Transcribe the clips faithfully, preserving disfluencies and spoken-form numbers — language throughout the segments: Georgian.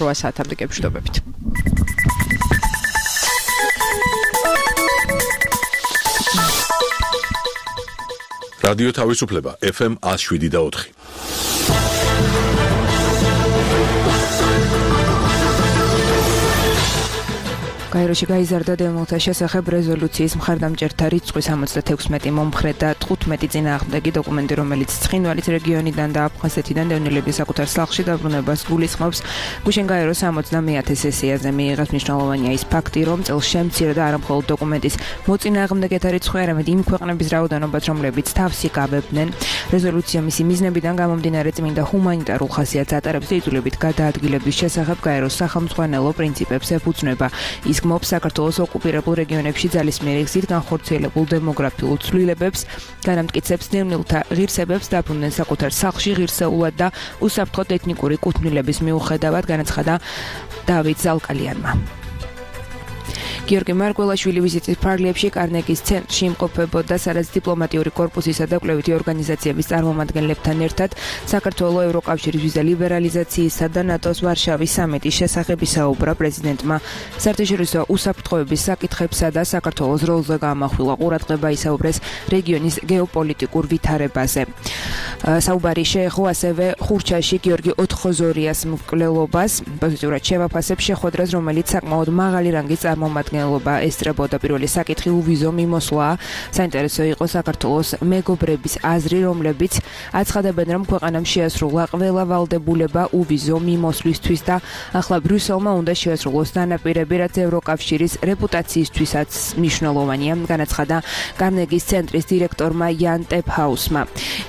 რვა საათამდე გებშვიდობებით. რადიო თავისუფლება ეფ ემ one oh seven და four. გაეროში გაიზარდა დემონთა შესახებ რეზოლუციის მხარდამჭერთა რიცხვი სამოცდათექვსმეტი მომხრე და თხუთმეტი წინააღმდეგი დოკუმენტი, რომელიც ცხინვალის რეგიონიდან და აფხაზეთიდან დევნილების საკუთარ სახლში დაბრუნებას გულისხმობს. გუშინ გაეროს სამოცდამეათე სესიაზე მიიღეს მნიშვნელოვანია ის ფაქტი, რომ წელს შემცირდა არა მხოლოდ დოკუმენტის მოწინააღმდეგეთა რიცხვი, არამედ იმ ქვეყნების რაოდენობაც, რომლებიც თავს იკავებდნენ. რეზოლუცია მისი მიზნებიდან გამომდინარე წმინდა ჰუმანიტარულ ხასიათს ატარებს და იძულებით გადაადგილების შესახებ გაეროს სახელმძღვანელო პრინციპებს ეფუძნება. ის გმობს საქართველოს ოკუპირებულ რეგიონებში ძალისმიერი გზით განხორციელებულ დემოგრაფიულ ცვლილებებს, განამტკიცებს დევნილთა ღირსებებს დაბრუნდნენ საკუთარ სახლში ღირსეულად და უსაფრთხოდ ეთნიკური კუთვნილების მიუხედავად, განაცხადა დავით ზალკალიანმა. გიორგი მარგველაშვილი ვიზიტის ფარგლებში კარნეგის ცენტრში იმყოფებოდა სადაც დიპლომატიური კორპუსისა და კვლევითი ორგანიზაციების წარმომადგენლებთან ერთად საქართველოს ევროკავშირის ვიზა ლიბერალიზაციისა და ნატოს ვარშავის სამიტის შესახებ ისაუბრა პრეზიდენტმა. საერთაშორისო უსაფრთხოების საკითხებსა და საქართველოს როლზე გაამახვილა ყურადღება, ისაუბრეს რეგიონის გეოპოლიტიკურ ვითარებაზე. საუბარი შეეხო ასევე ხურჩაში გიორგი ოთხოზორიას მკვლელობას, პოზიტიურად შევაფასებ შეხვედრას, რომელიც საკმაოდ მაღალი რანგის წარმომადგენლობა ესწრებოდა. პირველი საკითხი უვიზო მიმოსვლა. საინტერესო იყო საქართველოს მეგობრების აზრი, რომლებიც აცხადებენ, რომ ქვეყანამ შეასრულა ყველა ვალდებულება უვიზო მიმოსვლისთვის და ახლა ბრიუსელმა უნდა შეასრულოს დანაპირები, რაც ევროკავშირის რეპუტაციისთვისაც მნიშვნელოვანია, განაცხადა კარნეგის ცენტრის დირექტორმა იან ტეფჰაუსმა.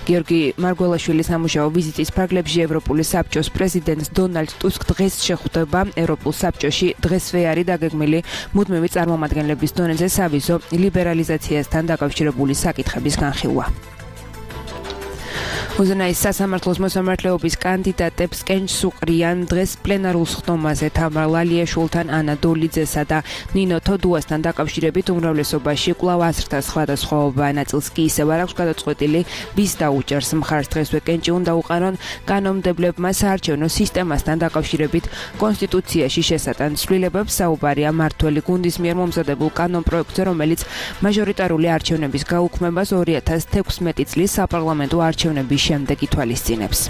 გიორგი მარგველაშვილის სამუშაო ვიზიტის ფარგლებში ევროპული საბჭოს პრეზიდენტს დონალდ ტუსკ დღეს შეხვდება. ევროპულ საბჭოში დღესვე არის დაგეგმილი მუდმივი წარმომადგენლების დონეზე სავიზო ლიბერალიზაციასთან დაკავშირებული საკითხების განხილვა. უზენაის სასამართლოს მოსამართლეობის კანდიდატებს კენჭს უყრიან დღეს პლენარულ სხდომაზე თამარ ლალიაშვილთან, ანა დოლიძესა და ნინო თოდუასთან დაკავშირებით უმრავლესობაში კვლავ აზრთა სხვადასხვაობა. ნაწილს კი ისევ არ აქვს გადაწყვეტილი ვის დაუჭერს მხარს. დღესვე კენჭი უნდა უყარონ კანონმდებლებმა საარჩევნო სისტემასთან დაკავშირებით კონსტიტუციაში შესატან ცვლილებებს. საუბარია მართველი გუნდის მიერ მომზადებულ კანონპროექტზე, რომელიც მაჟორიტარული არჩევნების გაუქმებას ორი ათას თექვსმეტი წლის საპარლამენტო არჩევნების შემდეგ ითვალისწინებს.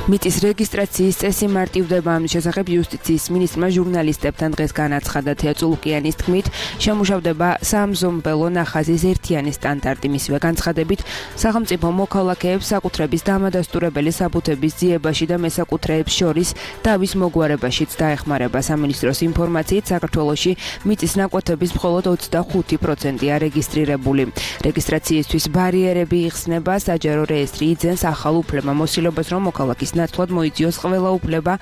მიწის რეგისტრაციის წესი მარტივდება. ამის შესახებ იუსტიციის მინისტრმა ჟურნალისტებთან დღეს განაცხადა. თეა წულუკიანის თქმით, შემუშავდება სამზომბელო ნახაზის ერთიანი სტანდარტი. მისივე განცხადებით, სახელმწიფო მოქალაქეებს საკუთრების დამადასტურებელი საბუთების ძიებაში და მესაკუთრეებს შორის დავის მოგვარებაშიც დაეხმარება. სამინისტროს ინფორმაციით, საქართველოში მიწის ნაკვეთების მხოლოდ ოცდახუთი პროცენტია რეგისტრირებული. რეგისტრაციისთვის ბარიერები იხსნება. საჯარო რეესტრი იძენს ახალ უფლებამოსილებას, რომ მოქალაქის ნაცვლად მოიწიოს ყველა უფლება.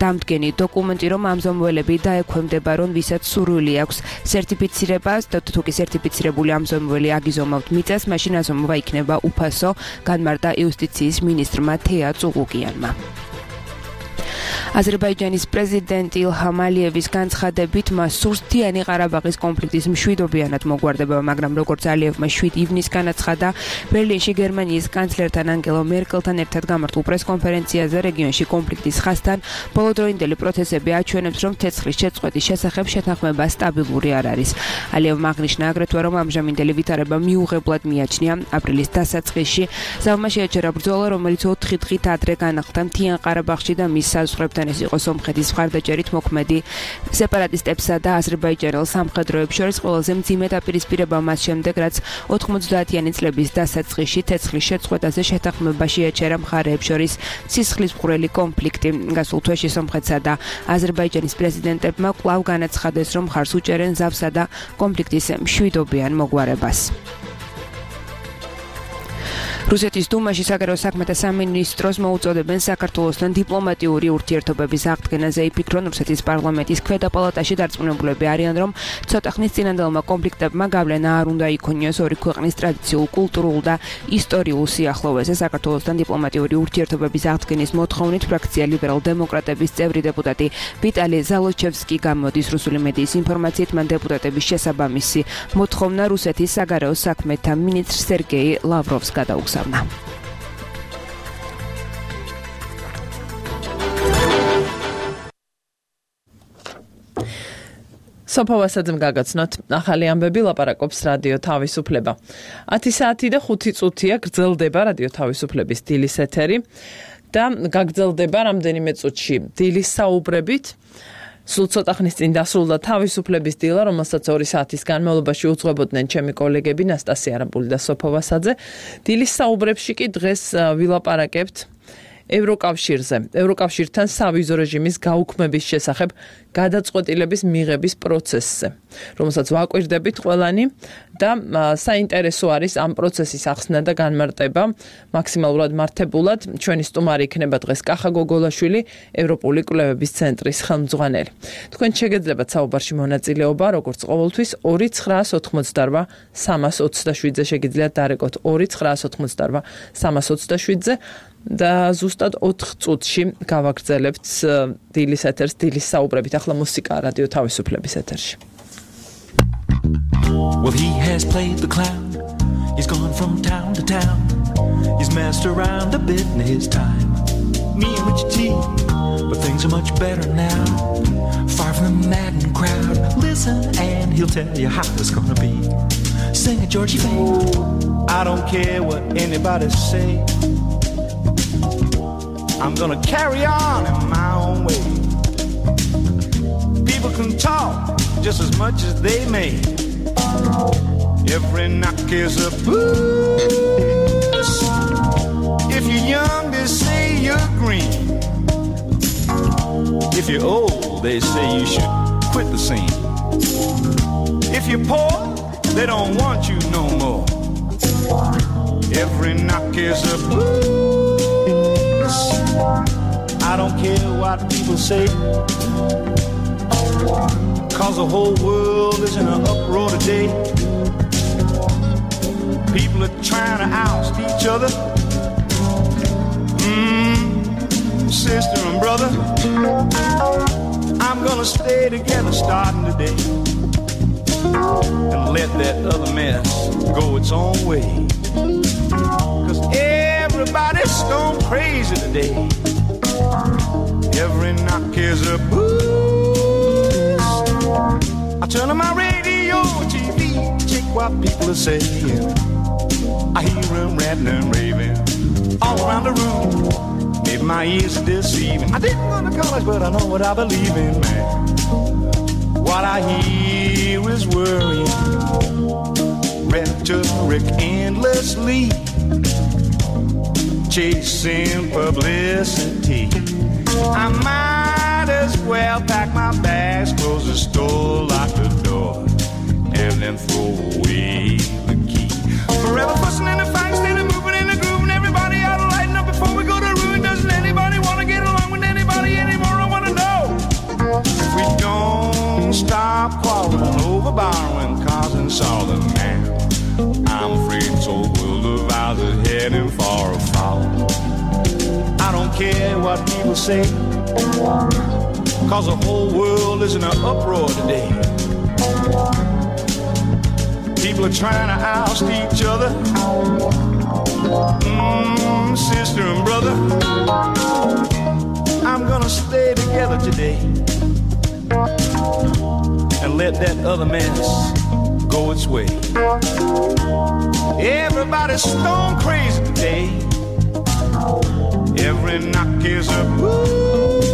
დამდგენი დოკუმენტი, რომ ამზომველები დაექვემდებარონ, ვისაც სურვილი აქვს სერტიფიცირება, თუ კი სერტიფიცირებული ამზომველი აგიზომავთ მიწას, მაშინ აზომვა იქნება უფასო, განმარტა იუსტიციის მინისტრმა თეა წულუკიანმა. აზერბაიჯანის პრეზიდენტ ილჰამ ალიევის განცხადებით, მას სურს მთიანი ყარაბაღის კონფლიქტის მშვიდობიანად მოგვარდება, მაგრამ როგორც ალიევმა შვიდ ივნისს განაცხადა, ბერლინში გერმანიის კანცლერთან ანგელა მერკელთან ერთად გამართულ პრესკონფერენციაზე რეგიონში კონფლიქტის ხასთან ბოლოდროინდელი პროცესები აჩვენებს, რომ ცეცხლის შეწყვეტის შესახებ შეთანხმება სტაბილური არ არის. ალიევმა აღნიშნა აგრეთვე, რომ ამჟამინდელი ვითარება მიუღებლად მიაჩნია. აპრილის დასაწყისში ზავმა შეაჩერა ბრძოლა, რომელიც ოთხი დღით ადრე განახლდა მთიან ყარაბაღში და მის საზღვრებთან. ეს იყო სომხეთის მხარდაჭერით მოქმედი სეპარატისტებსა და აზერბაიჯანელ სამხედროებს შორის ყველაზე მძიმე დაპირისპირება მას შემდეგ, რაც ოთხმოცდაათიანი წლების დასაწყისში ცეცხლის შეწყვეტაზე შეთანხმება შეაჩერა მხარეებს შორის სისხლისმღვრელი კონფლიქტი. გასულ თვეში სომხეთსა და აზერბაიჯანის პრეზიდენტებმა კვლავ განაცხადეს, რომ მხარს უჭერენ ზავსა და კონფლიქტის მშვიდობიან მოგვარებას. რუსეთის დუმაში საგარეო საქმეთა სამინისტროს მოუწოდებენ საქართველოსთან დიპლომატიური ურთიერთობების აღდგენაზე. იფიქრონ, რუსეთის პარლამენტის ქვედა პალატაში დარწმუნებულები არიან, რომ ცოტა ხნის წინანდელმა კონფლიქტებმა გავლენა არ უნდა იქონიოს ორი ქვეყნის ტრადიციულ, კულტურულ და ისტორიულ სიახლოვეზე. საქართველოსთან დიპლომატიური ურთიერთობების აღდგენის მოთხოვნით ფრაქცია ლიბერალ-დემოკრატების წევრი დეპუტატი ვიტალი ზალოჩევსკი გამოდის. რუსული მედიის ინფორმაციით, მან დეპუტატების შესაბამისი მოთხოვნა რუსეთის საგარეო საქმეთა მინისტრ სერგეი ლავროვს გადაუგზავნა. სოფო ვასაძემ გაგაცნოთ ახალი ამბები ლაპარაკობს რადიო თავისუფლება. ათი საათი და ხუთი წუთია გრძელდება რადიო თავისუფლების დილის ეთერი და გაგრძელდება რამდენიმე წუთში დილის საუბრებით. სულ ცოტა ხნის წინ დასრულდა თავისუფლების დილა, რომელსაც ორი საათის განმავლობაში უძღვებოდნენ ჩემი კოლეგები ნასტასია არაბული და სოფო ვასაძე. დილის საუბრებში კი დღეს ვილაპარაკებთ ევროკავშირზე, ევროკავშირთან სავიზო რეჟიმის გაუქმების შესახებ გადაწყვეტილების მიღების პროცესზე, რომელსაც ვაკვირდებით ყველანი და საინტერესო არის ამ პროცესის ახსნა და განმარტება მაქსიმალურად მართებულად. ჩვენი სტუმარი იქნება დღეს კახა გოგოლაშვილი, ევროპული კვლევების ცენტრის ხელმძღვანელი. თქვენ შეგეძლებათ საუბარში მონაწილეობა, როგორც ყოველთვის ორი ცხრაას ოთხმოცდარვა სამას ოცდაშვიდზე შეგიძლიათ დარეკოთ ორი ცხრაას ოთხმოცდარვა სამას ოცდაშვიდზე და ზუსტად ოთხ წუთში გავაგრძელებთ დილის ეთერს, დილის საუბრებით. ახლა მუსიკა რადიო თავისუფლების ეთერში. Well, he has played the clown. He's gone from town to town. He's messed around a bit in his time. Me and Richie T, but things are much better now. Far from the maddened crowd. Listen and he'll tell you how it's gonna be. Sing it, Georgie Faye. I don't care what anybody say. I'm gonna carry on in my own way. People can talk just as much as they may. Every knock is a boost. If you're young, they say you're green. If you're old, they say you should quit the scene. If you're poor, they don't want you no more. Every knock is a boost. I don't care what people say, 'cause the whole world is in an uproar today. People are trying to oust each other. Mm, sister and brother, I'm gonna stay together starting today and let that other mess go its own way. 'Cause everybody's stone crazy today. Every knock is a boost. I turn on my radio, T V, check what people are saying. I hear them ranting and raving all around the room. Maybe my ears are deceiving. I didn't go to college, but I know what I believe in, man. What I hear is worrying, rhetoric endlessly, chasing publicity. I might as well pack my bags, close the store, lock the door, and then throw away the key. Forever fussing and fighting, standing moving in the groove, and everybody ought to lighten up before we go to ruin. Doesn't anybody want to get along with anybody anymore? I want to know. If we don't stop quarreling over borrowing cars and solid man, I'm afraid this old world of ours is heading for a fall. I don't care what people say, 'cause the whole world is in an uproar today. People are trying to oust each other. Mm, sister and brother, I'm gonna stay together today and let that other mess go its way. Everybody's stone crazy today. Every knock is a boost.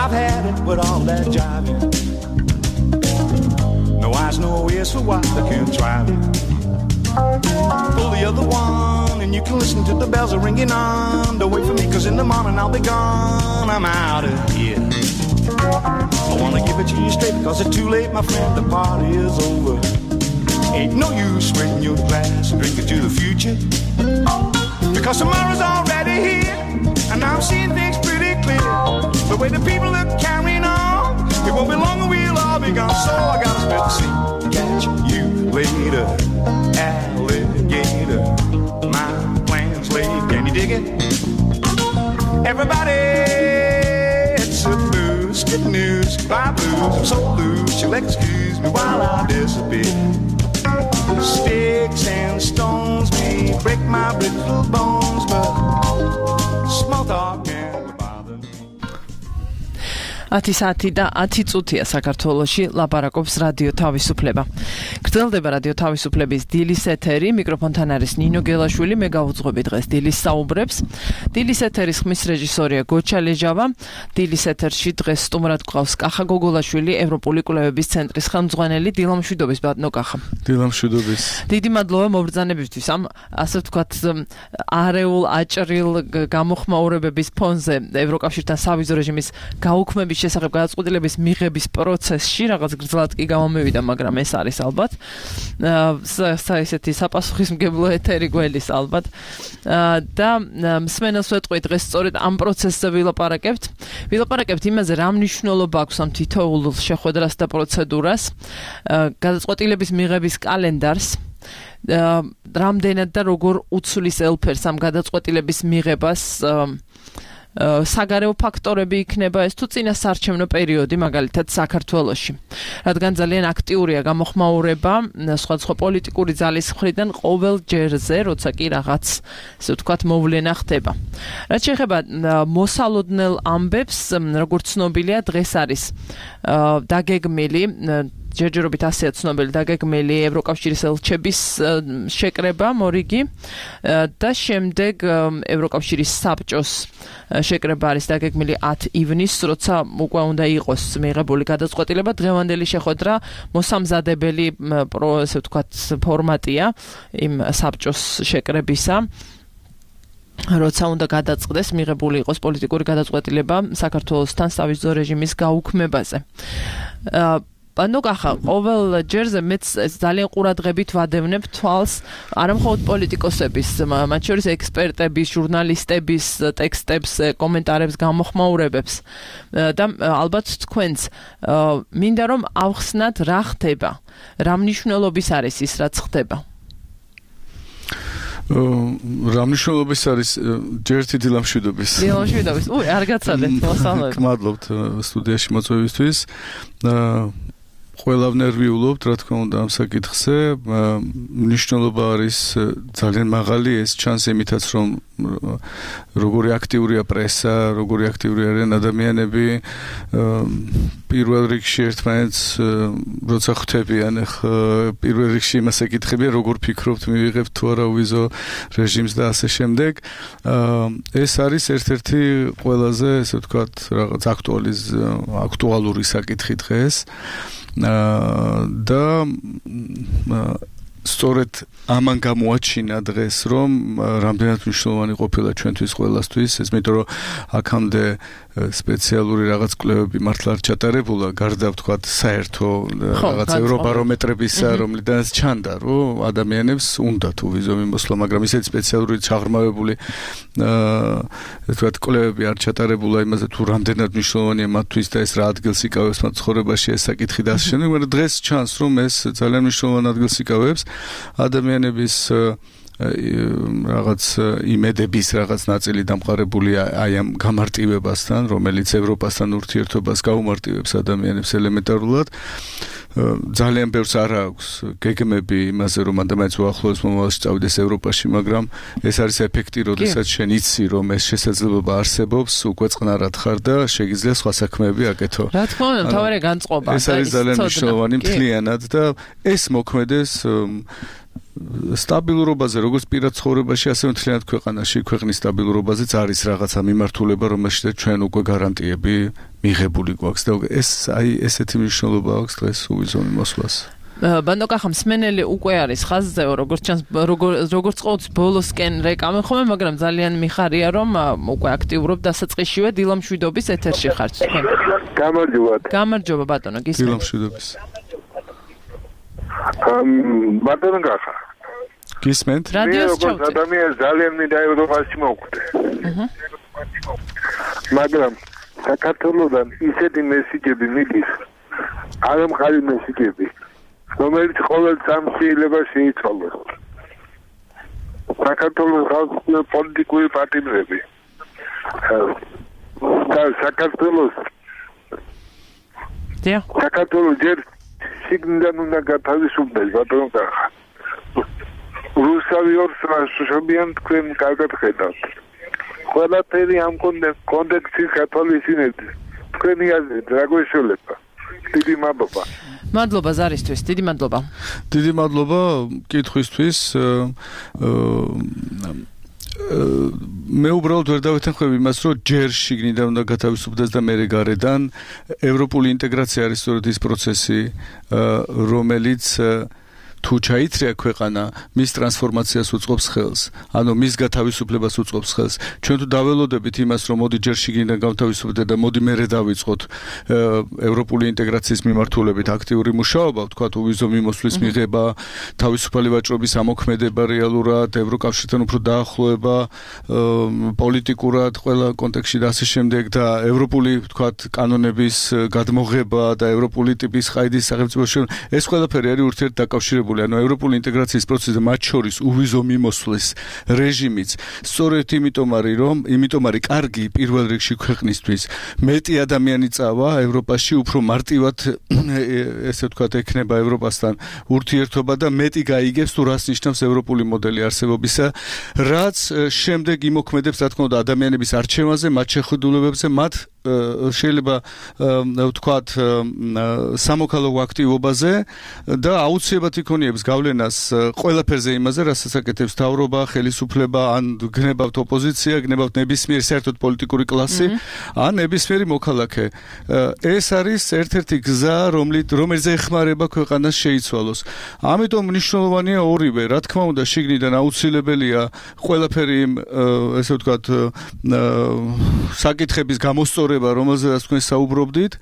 I've had it with all that jiving. No eyes, no ears for what they can try me. Pull the other one and you can listen to the bells are ringing on. Don't wait for me, 'cause in the morning I'll be gone. I'm out of here. I wanna give it to you straight, 'cause it's too late, my friend, the party is over. Ain't no use raising your glass and drinking to the future, because tomorrow's already here, and I'm seeing things pretty clear. The way the people are carrying on, it won't be long and we'll all be gone. So I gotta spit the sea, catch you later, alligator. My plan's laid, can you dig it? Everybody, it's a blues, good news, bye blues. I'm so loose, you'll excuse me while I disappear. Sticks and stones may break my brittle bones, but small talk can't bother me. ათი საათი და ათი წუთია საქართველოში ლაპარაკობს რადიო თავისუფლება. გრძელდება რადიო თავისუფლების დილის ეთერი, მიკროფონთან არის ნინო გელაშვილი, მე გავუძღვები დღეს დილის საუბრებს. დილის ეთერის ხმის რეჟისორია გოჩა ლეჟავა. დილის ეთერში დღეს სტუმრად გვყავს კახა გოგოლაშვილი, ევროპული კვლევების ცენტრის ხელმძღვანელი. დილამშვიდობის ბატონო კახა. დილამშვიდობის. დიდი მადლობა მობრძანებისთვის ამ ასე ვთქვათ არეულ აჭრილ გამოხმაურებების ფონზე ევროკავშირთან სავიზო რეჟიმის გაუქმების შესახებ გადაწყვეტილების მიღების პროცესში რაღაც გრძლად კი გამომივიდა, მაგრამ ეს არის ალბათ ესეთი საპასუხისმგებლო ეთერი გველის ალბათ და მსმენელს ვეტყვი დღეს სწორედ ამ პროცესზე ვილაპარაკებთ. ვილაპარაკებთ იმაზე, რა მნიშვნელობა აქვს ამ თითოეულ შეხვედრას და პროცედურას, გადაწყვეტილების მიღების კალენდარს, რამდენად და როგორ უცვლის ელფერს ამ გადაწყვეტილების მიღებას საგარეო ფაქტორები იქნება ეს თუ წინასაარჩევნო პერიოდი მაგალითად საქართველოში. რადგან ძალიან აქტიურია გამოხმაურება სხვადასხვა პოლიტიკური ძალის მხრიდან ყოველ ჯერზე, როცა კი რაღაც ასე ვთქვათ მოვლენა ხდება. რაც შეეხება მოსალოდნელ ამბებს, როგორც ცნობილია, დღეს არის დაგეგმილი ჯერჯერობით ასეა ცნობილი დაგეგმილი ევროკავშირის ელჩების შეკრება მორიგი და შემდეგ ევროკავშირის საბჭოს შეკრება არის დაგეგმილი ათი ივნისს, როცა უკვე უნდა იყოს მიღებული გადაწყვეტილება. დღევანდელი შეხვედრა მოსამზადებელი ასე ვთქვათ ფორმატია იმ საბჭოს შეკრებისა, როცა უნდა გადაწყდეს მიღებული იყოს პოლიტიკური გადაწყვეტილება საქართველოსთან სავიზო რეჟიმის გაუქმებაზე. ანუ კახა, ყოველ ჯერზე მეც ძალიან ყურადღებით ვადევნებ თვალს არამხოლოდ პოლიტიკოსების, მათ შორის ექსპერტების, ჟურნალისტების ტექსტებს, კომენტარებს, გამოხმაურებებს და ალბათ თქვენც მინდა რომ ავხსნათ რა ხდება, რა მნიშვნელობის არის ის, რაც ხდება. რა მნიშვნელობის არის ჯერთი დილამშვიდობის. დილამშვიდობის. უი, არ გაცადეთ, მოსალოდნელად. მადლობთ სტუდიაში მოწვევისთვის. ყველა ნერვიულობთ, რა თქმა უნდა, ამ საკითხზე. მნიშვნელობა არის ძალიან მაღალი, ეს ჩანს იმითაც, რომ როგორი აქტიურია პრესა, როგორი აქტიური არიან ადამიანები, პირველ რიგში ერთმანეთს როცა ხვდებიან, პირველ რიგში იმას ეკითხებიან, როგორ ფიქრობთ, მივიღებთ თუ არა ვიზო რეჟიმს და ასე შემდეგ. ეს არის ერთ-ერთი ყველაზე, ესე ვთქვათ, რაღაც აქტუალის აქტუალური საკითხი დღეს. და სწორედ ამან გამოაჩინა დღეს, რომ რამდენად მნიშვნელოვანი ყოფილა ჩვენთვის ყველასთვის, ეს მეტყვი რომ აქამდე სპეციალური რაღაც კვლევები მართლა არ ჩატარებულა, გარდა ვთქვათ საერთო რაღაც ევრობარომეტრებისა, რომლიდანაც ჩანდა, რომ ადამიანებს უნდა თუ ვიზო მიმოსვლა, მაგრამ ისეთი სპეციალური ჩაღრმავებული ვთქვათ კვლევები არ ჩატარებულა იმაზე, თუ რამდენად მნიშვნელოვანია მათთვის და ეს რა ადგილს იკავებს მათ ცხოვრებაში ეს საკითხი და ასე შემდეგ, მაგრამ დღეს ჩანს, რომ ეს ძალიან მნიშვნელოვან ადგილს იკავებს ადამიანების რაღაც იმედების რაღაც ნაწილი დამყარებულია აი ამ გამარტივებასთან, რომელიც ევროპასთან ურთიერთობას გაუმარტივებს ადამიანებს ელემენტარულად. ძალიან ბევრს არ აქვს გეგმები იმაზე, რომ ადამიანს უახლოეს მომავალში წავიდეს ევროპაში, მაგრამ ეს არის ეფექტი, როდესაც შენ იცი, რომ ეს შესაძლებლობა არსებობს, უკვე წყნარად ხარ და შეგიძლია სხვა საქმეები აკეთო. რა თქმა უნდა, თავარი განწყობა. ეს არის ძალიან მნიშვნელოვანი მთლიანად და ეს მოქმედეს სტაბილურობაზე, როგორც პირად ცხოვრებაში, ასევე მთლიანად ქვეყანაში, ქვეყნის სტაბილურობაზეც არის რაღაცა მიმართულება, რომელშიც ჩვენ უკვე გარანტიები მიღებული გვაქვს და ეს აი ესეთი მნიშვნელობა აქვს დღეს უვიზო მიმოსვლას. ბანდო კახა, მსმენელი უკვე არის ხაზზე, როგორც ჩანს, როგორც ყოველთვის ბოლოსკენ რეკამე ხომ, მაგრამ ძალიან მიხარია, რომ უკვე აქტიურობ დასაწყისშივე დილამშვიდობის ეთერში ხართ თქვენ. გამარჯობა. გამარჯობა ბატონო, გისმენთ. დილამშვიდობის. ბატონო კახა. გისმენთ? რადიოს ჩავწერ. ადამიანს ძალიან მინდა ევროპაში მოვკვდე. აჰა. მაგრამ საქართველოსთან ისეთი მესიჯები მიდის, არამხარი მესიჯები, რომელიც ყოველ წამს შეიძლება შეიცვალოს. საქართველოს ხალხის პოლიტიკური პარტიები და საქართველოს დიახ. საქართველოს ჯერ შიგნიდან უნდა გათავისუფლდეს, ბატონო კახა. რუსავი ორსრაშობიან თქვენ კარგად ხედავთ. ყველაფერი ამ კონტექსტის გათვალისწინებთ. თქვენი აზრით რა გვეშველება? დიდი მადლობა. მადლობა ზარისთვის, დიდი მადლობა. დიდი მადლობა კითხვისთვის. მე უბრალოდ ვერ დავეთანხმები იმას, რომ ჯერ შიგნიდან უნდა გათავისუფლდეს და მერე გარედან. ევროპული ინტეგრაცია არის სწორედ ის პროცესი, რომელიც თუ ჩაითრია ქვეყანა, მის ტრანსფორმაციას უწყობს ხელს, ანუ მის გათავისუფლებას უწყობს ხელს. ჩვენ თუ დაველოდებით იმას, რომ მოდი ჯერ შიგნიდან გავთავისუფლდეთ და მოდი მერე დავიწყოთ ევროპული ინტეგრაციის მიმართულებით აქტიური მუშაობა, ვთქვათ, უვიზო მიმოსვლის მიღება, თავისუფალი ვაჭრობის ამოქმედება რეალურად, ევროკავშირთან უფრო დაახლოება, პოლიტიკურად ყველა კონტექსტში და ასე შემდეგ და ევროპული, ვთქვათ, კანონების გადმოღება და ევროპული ტიპის ყაიდის სახელმწიფოში, ეს ყველაფერი არის ურთიერთდაკავშირებული. ანუ ევროპული ინტეგრაციის პროცესი და მათ შორის უვიზო მიმოსვლის რეჟიმიც სწორედ იმიტომ არის რომ იმიტომ არის კარგი პირველ რიგში ქვეყნისთვის მეტი ადამიანი წავა ევროპაში უფრო მარტივად ესე ვთქვათ ექნება ევროპასთან ურთიერთობა და მეტი გაიგებს თუ რას ნიშნავს ევროპული მოდელი არსებობისა რაც შემდეგ იმოქმედებს რა თქმა უნდა ადამიანების არჩევანზე მათ შეხედულებებზე მათ შეიძლება ვთქვათ სამოქალაქო აქტივობაზე და აუცილებლად იქონიებს გავლენას ყველაფერზე იმაზე, რასაც აკეთებს მთავრობა, ხელისუფლება, ან გნებავთ ოპოზიცია, გნებავთ ნებისმიერ საერთოდ პოლიტიკური კლასი, ან ნებისმიერი მოქალაქე. ეს არის ერთ-ერთი გზა, რომელზე ეხმარება ქვეყანას შეიცვალოს. ამიტომ მნიშვნელოვანია ორივე, რა თქმა უნდა, შიგნიდან აუცილებელია ყველაფერი ესე ვთქვათ საკითხების გამოსწორება რომელზეც თქვენ საუბრობდით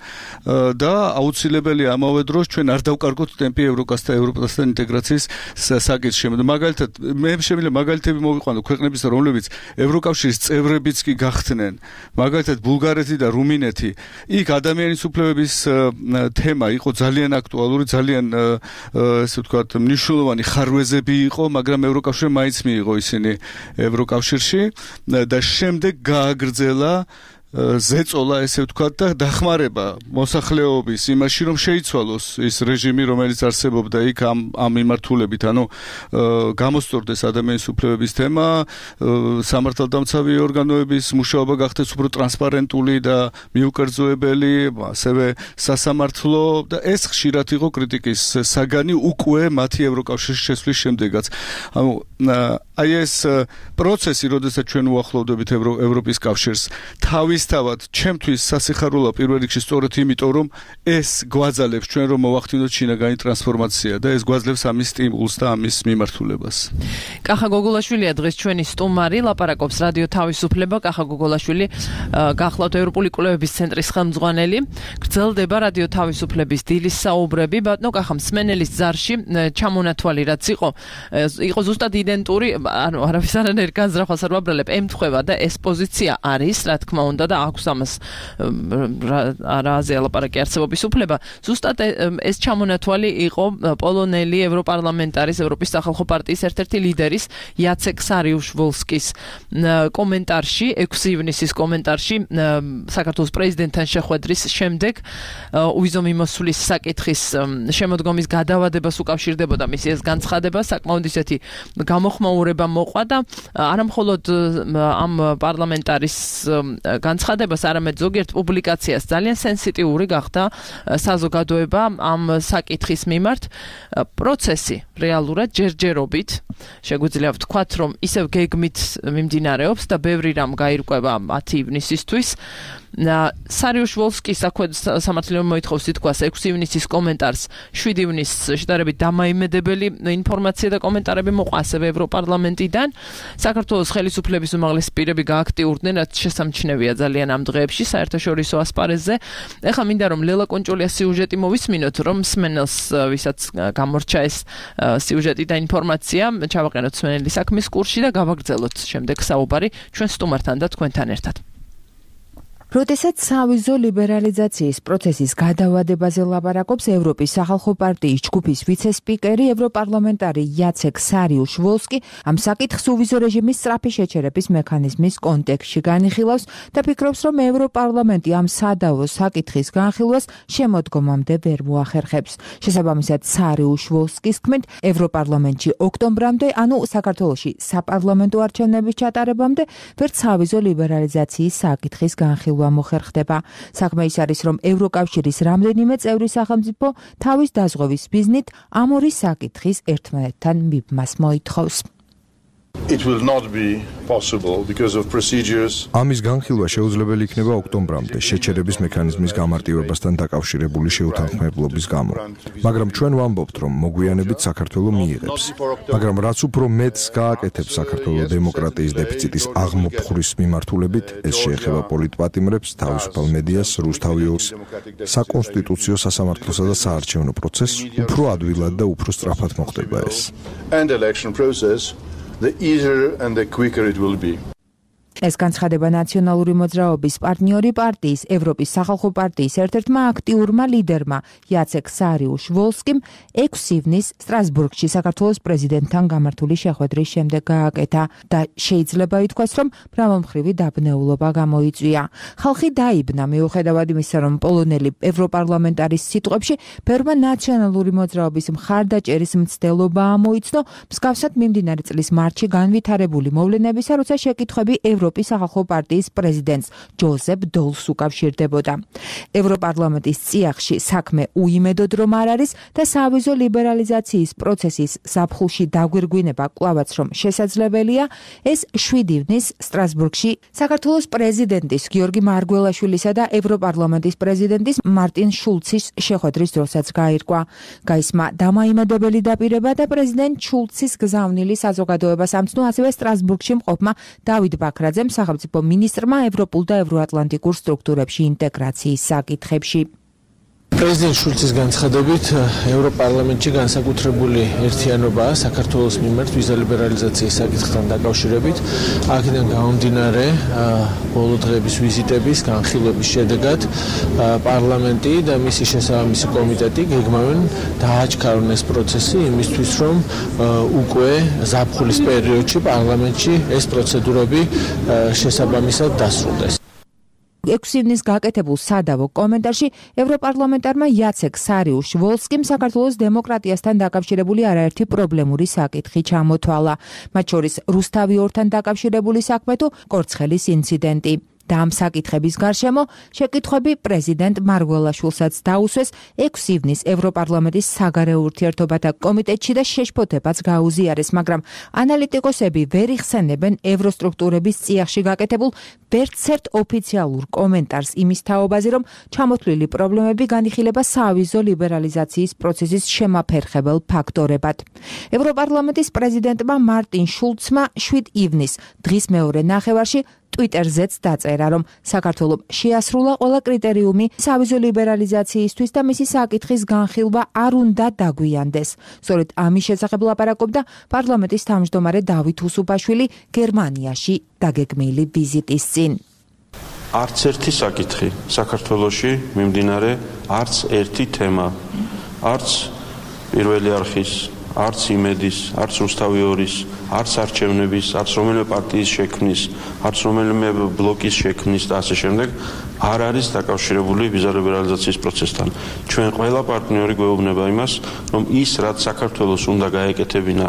და აუცილებელია ამავე დროს ჩვენ არ დავკარგოთ ტემპი ევროკასთან ევროპასთან ინტეგრაციის საკითხში. მაგალითად, მე შემიძლია მაგალითები მოვიყვანო ქვეყნების, რომლებიც ევროკავშირის წევრებიც კი გახდნენ. მაგალითად, ბულგარეთი და რუმინეთი. იქ ადამიანის უფლებების თემა იყო ძალიან აქტუალური, ძალიან ესე ვთქვათ, მნიშვნელოვანი ხარვეზები იყო, მაგრამ ევროკავშირმა მაინც მიიღო ისინი ევროკავშირში და შემდეგ გააგრძელა ზეწოლა ესე ვთქვათ და დახმარება მოსახლეობის იმაში რომ შეიცვალოს ის რეჟიმი რომელიც არსებობდა იქ ამ ამ მიმართულებით ანუ გამოსწორდეს ადამიანის უფლებების თემა სამართალდამცავი ორგანოების მუშაობა გახდეს უფრო ტრანსპარენტული და მიუკერძოებელი ასევე სასამართლო და ეს ხშირად იყო კრიტიკის საგანი უკვე მათი ევროკავშირის შესვლის შემდეგაც ანუ აი ეს პროცესი როდესაც ჩვენ უახლოვდებით ევროპის კავშირს თავის თავად ჩემთვის სასიხარულო პირველ რიგში სწორედ იმიტომ რომ ეს გვაძალებს ჩვენ რომ მოვახდინოთ შინაგანი ტრანსფორმაცია და ეს გვაძლევს ამის სტიმულს და ამის მიმართულებას. კახა გოგოლაშვილია დღეს ჩვენი სტუმარი ლაპარაკობს რადიო თავისუფლება კახა გოგოლაშვილი გახლავთ ევროპული კვლევების ცენტრის ხელმძღვანელი გრძელდება რადიო თავისუფლების დილის საუბრები ბატონო კახა მსმენელის ძარში ჩამონათვალი რაც იყო იყო ზუსტად იდენტური ანუ არავის არანაირ განზრახვას არ ვაბრალებ ემთხვევა და ეს პოზიცია არის რა თქმა უნდა და აქვს ამას რაზე ლაპარაკი არსებობის უფლება ზუსტად ეს ჩამონათვალი იყო პოლონელი ევროპარლამენტარის ევროპის სახალხო პარტიის ერთ-ერთი ლიდერის იაცეკ სარიუშ-ვოლსკის კომენტარში ექვსი ივნისის კომენტარში საქართველოს პრეზიდენტთან შეხვედრის შემდეგ უვიზო მიმოსვლის საკითხის შემოდგომის გადავადებას უკავშირდებოდა მისი ეს განცხადება საკმაოდ ისეთი გამოხმაურება მოყვა და არამხოლოდ ამ პარლამენტარის განცხადებას არამედ ზოგიერთ პუბლიკაციას ძალიან სენსიტიური გახდა საზოგადოება ამ საკითხის მიმართ პროცესი რეალურად ჯერჯერობით შეგვიძლია ვთქვათ რომ ისევ გეგმით მიმდინარეობს და ბევრი რამ გაირკვევა მათი ივნისისთვის სარიუშ-ვოლსკის სამართლებრივ მოითხოვს თითქოს ექვსი ივნისის კომენტარს შვიდი ივნისს შედარებით დამაიმედებელი ინფორმაცია და კომენტარები მოყვა ასევე ევროპარლამენტიდან საქართველოს ხელისუფლების უმაღლესი პირები გააქტიურდნენ რაც შესამჩნევია ძალიან ამ დღეებში საერთაშორისო ასპარეზზე ეხლა მინდა რომ ლელა კონჭულიას სიუჟეტი მოვისმინოთ რომ მსმენელს ვისაც გამორჩა ეს სიუჟეტი და ინფორმაცია ჩავაყენოთ მსმენელის საქმის კურსში და გავაგრძელოთ შემდეგ საუბარი ჩვენ სტუმართან და თქვენთან ერთად როდესაც სავიზო ლიბერალიზაციის პროცესის გადავადებაზე ლაპარაკობს ევროპის სახალხო პარტიის ჯგუფის ვიცე-სპიკერი ევროპარლამენტარი იაცეკ სარიუშ-ვოლსკი ამ საკითხს უვიზო რეჟიმის სწრაფი შეჩერების მექანიზმის კონტექსტში განიხილავს და ფიქრობს რომ ევროპარლამენტი ამ სადავო საკითხის განხილვას შემოდგომამდე ვერ მოახერხებს შესაბამისად სარიუშ-ვოლსკის თქმით ევროპარლამენტში ოქტომბრამდე ანუ საქართველოში საპარლამენტო არჩევნების ჩატარებამდე ვერც სავიზო ლიბერალიზაციის საკითხის განხილვა დახურვა მოხერხდება. საქმე ის არის, რომ ევროკავშირის რამდენიმე წევრი სახელმწიფო თავის დაზღვევის მიზნით ამ ორი საკითხის ერთმანეთთან მიბმას მოითხოვს. It will not be possible because of procedures. ამის განხილვა შეუძლებელი იქნება ოქტომბრამდე შეჩერების მექანიზმის გამარტივებასთან დაკავშირებული შეუთანხმებლობის გამო. მაგრამ ჩვენ ვამბობთ, რომ მოგვიანებით საქართველოს მიიღებს. მაგრამ რაც უფრო მეტს გააკეთებს საქართველოს დემოკრატიის დეფიციტის აღმოფხვრის მიმართულებით, ეს შეეხება პოლიტპატიმრებს, თავისუფალ მედიას, რუსთავიორს, საკონსტიტუციო სასამართლოსა და საარჩევნო პროცესს, უფრო ადვილად და უფრო სწრაფად მოხდება ეს. And election process, the easier and the quicker it will be. ეს განცხადება ნაციონალური მოძრაობის პარტნიორი პარტიის ევროპის სახალხო პარტიის ერთ-ერთმა აქტიურმა ლიდერმა იაცეკ სარიუშ-ვოლსკიმ ექვსი ივნის სტრასბურგში საქართველოს პრეზიდენტთან გამართული შეხვედრის შემდეგ გააკეთა და შეიძლება ითქვას, რომ მრავალმხრივი დაბნეულობა გამოიწვია. ხალხი დაიბნა მიუხედავად იმისა, რომ პოლონელი ევროპარლამენტარის სიტყვებში ბევრმა ნაციონალური მოძრაობის მხარდაჭერის მცდელობა ამოიცნო მსგავსად მიმდინარე წლის მარტში განვითარებული მოვლენებისა, როცა შეკითხვები ევროპის სახალხო პარტიის პრეზიდენტს ჯოზეფ დოლს უკავშირდებოდა. ევროპარლამენტის წიაღში საქმე უიმედოდ რომ არ არის და სავიზო ლიბერალიზაციის პროცესის ზაფხულში დაგვირგვინება კვლავაც რომ შესაძლებელია, ეს შვიდი ივნის სტრასბურგში საქართველოს პრეზიდენტის გიორგი მარგველაშვილისა და ევროპარლამენტის პრეზიდენტის მარტინ შულცის შეხვედრის დროსაც გაირკვა. გაისმა დამაიმედებელი დაპირება და პრეზიდენტ შულცის გზავნილი საზოგადოებას ამცნო ასევე სტრასბურგში მყოფმა დავით ბაქრაძემ სახელმწიფო მინისტრმა ევროპულ და ევროატლანტიკურ სტრუქტურებში ინტეგრაციის საკითხებში. პრეზიდენტ შულცის განცხადებით ევროპარლამენტში განსაკუთრებული ერთიანობაა საქართველოს მიმართ ვიზა ლიბერალიზაციის საკითხთან დაკავშირებით. აქედან გამომდინარე ბოლო დღეების ვიზიტების განხილვების შედეგად პარლამენტი და მისი შესაბამისი კომიტეტი გეგმავენ დააჩქარონ ეს პროცესი იმისთვის, რომ უკვე ზაფხულის პერიოდში პარლამენტში ეს პროცედურები შესაბამისად დასრულდეს. ექვსი ივნის გაკეთებულ სადავო კომენტარში ევროპარლამენტარმა იაცეკ სარიუშ-ვოლსკიმ საქართველოს დემოკრატიასთან დაკავშირებული არაერთი პრობლემური საკითხი ჩამოთვალა. მათ შორის რუსთავიორთან დაკავშირებული საქმე თუ კორცხელის ინციდენტი. და ამ საკითხების გარშემო შეკითხვები პრეზიდენტ მარგველაშვილსაც დაუსვეს ექვსი ივნის ევროპარლამენტის საგარეო ურთიერთობათა კომიტეტში და შეშფოთებაც გაუზიარეს, მაგრამ ანალიტიკოსები ვერ იხსენებენ ევროსტრუქტურების წიაღში გაკეთებულ ვერცერთ ოფიციალურ კომენტარს იმის თაობაზე, რომ ჩამოთვლილი პრობლემები განიხილება სავიზო ლიბერალიზაციის პროცესის შემაფერხებელ ფაქტორებად. ევროპარლამენტის პრეზიდენტმა მარტინ შულცმა შვიდ ივნის დღის მეორე ნახევარში ტვიტერზეც დაწერა, რომ საქართველოს შეასრულა ყველა კრიტერიუმი სავიზო ლიბერალიზაციისთვის და მისი საკითხის განხილვა არ უნდა დაგვიანდეს. სწორედ ამის შესახებ ლაპარაკობდა პარლამენტის თავმჯდომარე დავით უსუფაშვილი გერმანიაში დაგეგმილი ვიზიტის წინ. არც ერთი საკითხი საქართველოში მიმდინარე არც ერთი თემა, არც პირველი არხის, არც იმედის, არც რუსთავიორის, არც არჩევნების, არც რომელიმე პარტიის შექმნის, არც რომელიმე ბლოკის შექმნის და ასე შემდეგ არ არის დაკავშირებული ვიზა ლიბერალიზაციის პროცესთან. ჩვენ ყველა პარტნიორი გვეუბნება იმას, რომ ის რაც საქართველოს უნდა გაეკეთებინა,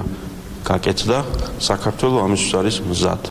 გაკეთდა, საქართველოს ამისთვის არის მზად.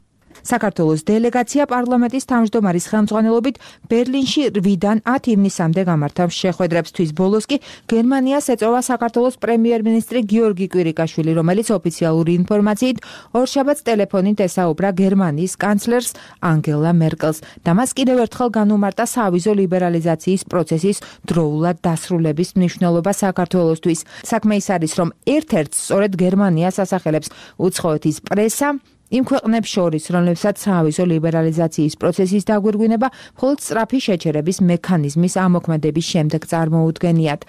საქართველოს დელეგაცია პარლამენტის თავმჯდომარის ხელმძღვანელობით ბერლინში რვიდან ათ ივნისამდე გამართა შეხვედრებს. თვის ბოლოს კი გერმანიას ეწევა საქართველოს პრემიერ-მინისტრი გიორგი კვირიკაშვილი, რომელიც ოფიციალური ინფორმაციით ორშაბათს ტელეფონით ესაუბრა გერმანიის კანცლერს ანგელა მერკელს და მას კიდევ ერთხელ განუმარტა სავიზო ლიბერალიზაციის პროცესის დროულად დასრულების მნიშვნელობა საქართველოსთვის. საქმე ის არის, რომ ერთ-ერთ სწორედ გერმანიას ასახელებს უცხოეთის პრესა იმ ქვეყნებს შორის, რომლებსაც სავიზო ლიბერალიზაციის პროცესის დაგვირგვინება მხოლოდ სწრაფი შეჩერების მექანიზმის ამოქმედების შემდეგ წარმოუდგენიათ.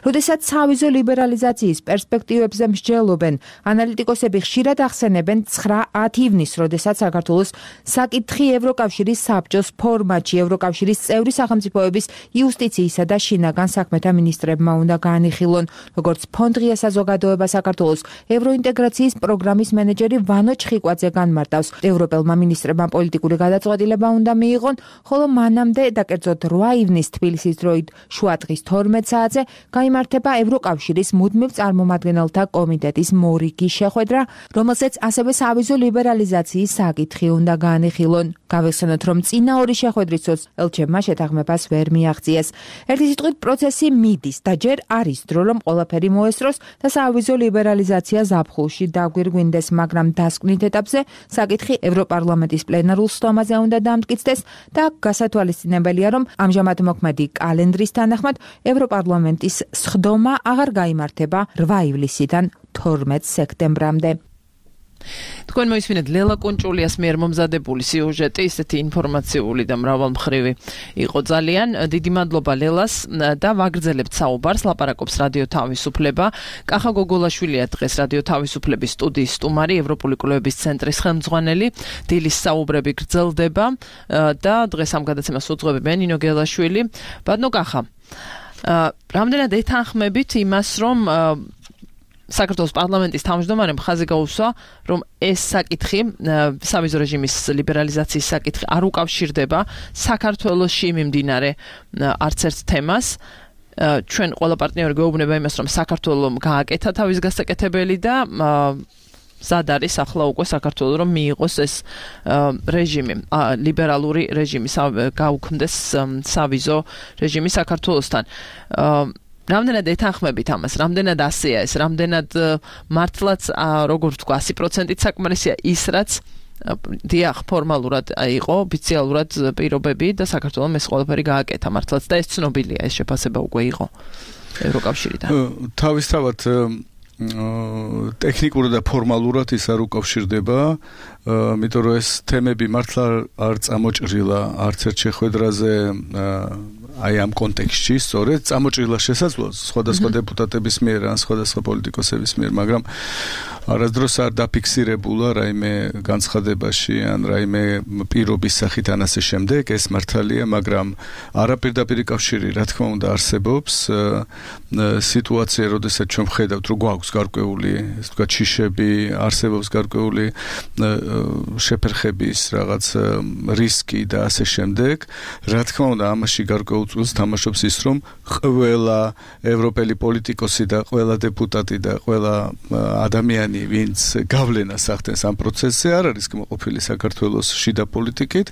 როდესაც სავიზო ლიბერალიზაციის პერსპექტივებზე მსჯელობენ, ანალიტიკოსები ხშირად ახსენებენ ცხრა ათ ივნის, როდესაც საქართველოს საკითხი ევროკავშირის საბჭოს ფორმატში ევროკავშირის წევრი სახელმწიფოების იუსტიციისა და შინაგან საქმეთა მინისტრებმა უნდა განიხილონ, როგორც ფონდღია საზოგადოება საქართველოს ევროინტეგრაციის პროგრამის მენეჯერი ვანო ჩხიკვაძე განმარტავს. ევროპელმა მინისტრებმა პოლიტიკური გადაწყვეტილება უნდა მიიღონ, ხოლო მანამდე და კერძოდ რვა ივნის თბილისის დროით შუადღის თორმეტ საათზე გაიმართება ევროკავშირის მუდმივ წარმომადგენელთა კომიტეტის მორიგი შეხვედრა, რომელზეც ასევე სავიზო ლიბერალიზაციის საკითხი უნდა განიხილონ. გავიხსენოთ, რომ წინა ორი შეხვედრისას ელჩებმა შეთანხმებას ვერ მიაღწიეს. ერთი სიტყვით პროცესი მიდის და ჯერ არის დრო, რომ ყველაფერი მოესწროს და სავიზო ლიბერალიზაცია ზაფხულში დაგვირგვინდეს, მაგრამ დასკვნით ეტაპზე საკითხი ევროპარლამენტის პლენარულ სტომაზე უნდა დამტკიცდეს და გასათვალისწინებელია, რომ ამჟამად მოქმედი კალენდრის თანახმად ევროპარლამენტის სხდომა აღარ გაიმართება რვა ივლისიდან თორმეტ სექტემბრამდე. თქვენ მოისმინეთ ლელა კუნჭულიას მიერ მომზადებული სიუჟეტი, ისეთი ინფორმაციული და მრავალმხრივი იყო ძალიან. დიდი მადლობა ლელას და ვაგრძელებთ საუბარს. ლაპარაკობს რადიო თავისუფლება. კახა გოგოლაშვილია დღეს რადიო თავისუფლების სტუდიის სტუმარი, ევროპული კვლევების ცენტრის ხელმძღვანელი. დილის საუბრები გრძელდება და დღეს ამ გადაცემას უძღვებია ნინო გელაშვილი. ბატონო კახა, რამდენად ეთანხმებით იმას, რომ საქართველოს პარლამენტის თავმჯდომარემ ხაზი გაუსვა, რომ ეს საკითხი, სავიზო რეჟიმის ლიბერალიზაციის საკითხი არ უკავშირდება საქართველოში მიმდინარე არც ერთ თემას. ჩვენ ყველა პარტნიორი გვეუბნება იმას, რომ საქართველომ გააკეთა თავის გასაკეთებელი და ზად არის ახლა უკვე საქართველოს რომ მიიღოს ეს რეჟიმი, ლიბერალური რეჟიმი, გაუქმდეს სავიზო რეჟიმი საქართველოსთან. რამდენად ეთანხმებით ამას, რამდენად ასეა ეს, რამდენად მართლაც როგორ ვთქვა, ასი პროცენტით საკმარისია ის, რაც დიახ, ფორმალურად იყო, ოფიციალურად პირობები და საქართველოს ეს ყველაფერი გააკეთა მართლაც და ეს ცნობილია, ეს შეფასება უკვე იყო ევროკავშირიდან. თავისთავად ტექნიკურად და ფორმალურად ის არ უკავშირდება, იმიტომ რომ ეს თემები მართლა არ წამოჭრილა არც ერთ შეხვედრაზე აი ამ კონტექსტში, სწორედ წამოჭრილა შესაძლოა სხვადასხვა დეპუტატების მიერ ან სხვადასხვა პოლიტიკოსების მიერ, მაგრამ არასდროს არ დაფიქსირებულა რაიმე განცხადებაში ან რაიმე პირობის სახით ან ასე შემდეგ, ეს მართალია, მაგრამ არაპირდაპირი კავშირი რა თქმა უნდა არსებობს. სიტუაცია, როდესაც ჩვენ ვხედავთ, რომ გვაქვს გარკვეული, ესე ვთქვათ, შიშები, არსებობს გარკვეული შეფერხების რაღაც რისკი და ასე შემდეგ, რა თქმა უნდა ამაში გარკვეულ წელს თამაშობს ის, რომ ყველა ევროპელი პოლიტიკოსი და ყველა დეპუტატი და ყველა ადამიანი, ვინც გავლენას ახდენს ამ პროცესზე, არ არის კმაყოფილი საქართველოს შიდა პოლიტიკით,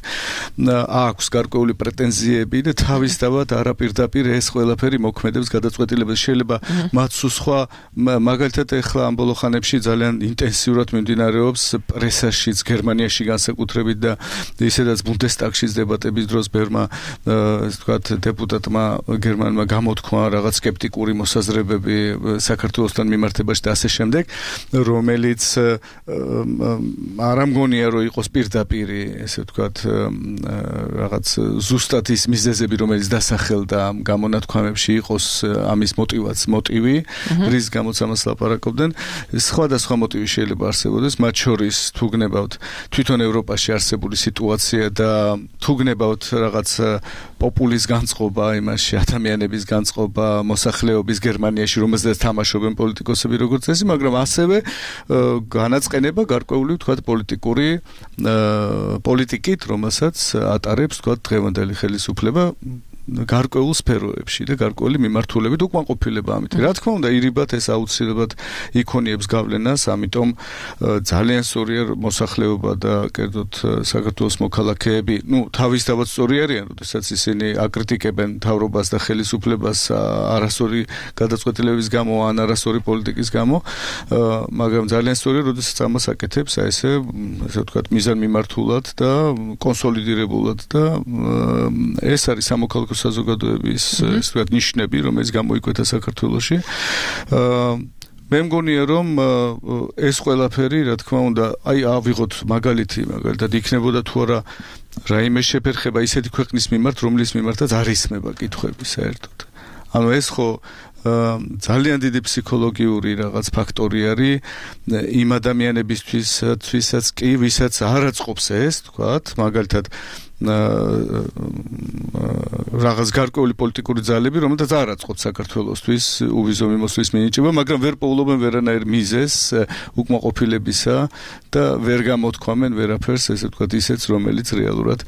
აქვს გარკვეული პრეტენზიები და თავისთავად არაპირდაპირ ეს ყველაფერი მოქმედებს გადაწყვეტილებას. შეიძლება მათ სხვა მაგალითად ეხლა ამ ბოლო ხანებში ძალიან ინტენსიურად მიმდინარეობს პრესაშიც, გერმანიაში განსაკუთრებით და ისედაც ბუნდესტაგშიც დებატების დროს ბერმა, ასე ვთქვათ, დეპუტატმა გერმანმა გამოთქვა რაღაც სკეპტიკური მოსაზრებები საქართველოსთან მიმართებაში და ასე შემდეგ, რომელიც არ ამგონია რომ იყოს პირდაპირი, ესე ვთქვათ, რაღაც ზუსტად ის მიზეზები, რომელიც დასახელდა ამ გამონათქვამებში იყოს ამის მოტივაც მოტივი, რის გამოც ამას ლაპარაკობდნენ. სხვადასხვა მოტივი შეიძლება არსებობდეს, მათ შორის თუ გნებავთ თვითონ ევროპაში არსებული სიტუაცია და თუ გნებავთ რაღაც პოპულის განწყობა იმაში, ადამიანების განწყობა მოსახლეობის გერმანიაში, რომელზეც თამაშობენ პოლიტიკოსები როგორც წესი, მაგრამ ასევე განაწყენება გარკვეული ვთქვათ პოლიტიკური პოლიტიკით, რომელსაც ატარებს ვთქვათ დღევანდელი ხელისუფლება გარკვეულ სფეროებში და გარკვეული მიმართულებით უკმაყოფილება ამით. რა თქმა უნდა, ირიბად ეს აუცილებლად იქონიებს გავლენას, ამიტომ ძალიან სწორია მოსახლეობა და კერძოდ საქართველოს მოქალაქეები, ну, თავისთავად სწორი არიან, როდესაც ისინი აკრიტიკებენ მთავრობას და ხელისუფლებას არასწორი გადაწყვეტილებების გამო ან არასწორი პოლიტიკის გამო, მაგრამ ძალიან სწორია, როდესაც ამას აკეთებს, აი ესე, ასე ვთქვათ, მიზანმიმართულად და კონსოლიდირებულად და ეს არის სამოქალაქო საზოგადოების ეს ვთქვათ ნიშნები, რომელიც გამოიკვეთა საქართველოში. მე მგონია რომ ეს ყველაფერი, რა თქმა უნდა, აი ავიღოთ მაგალითი, მაგალითად იქნებოდა თუ არა რაიმე შეფერხება ისეთი ქვეყნის მიმართ, რომლის მიმართაც არ ისმება კითხვები საერთოდ. ანუ ეს ხო ძალიან დიდი ფსიქოლოგიური რაღაც ფაქტორი არის იმ ადამიანებისთვის, ვისაც კი, ვისაც არ აწყობს ეს, თქვათ, მაგალითად რაღაც გარკვეული პოლიტიკური ძალები, რომელთაც არ აწყობთ საქართველოსთვის უვიზო მიმოსვლის მინიჭება, მაგრამ ვერ პოულობენ ვერანაირ მიზეზს უკმაყოფილებისა და ვერ გამოთქვამენ ვერაფერს, ესე ვთქვათ, ისეც, რომელიც რეალურად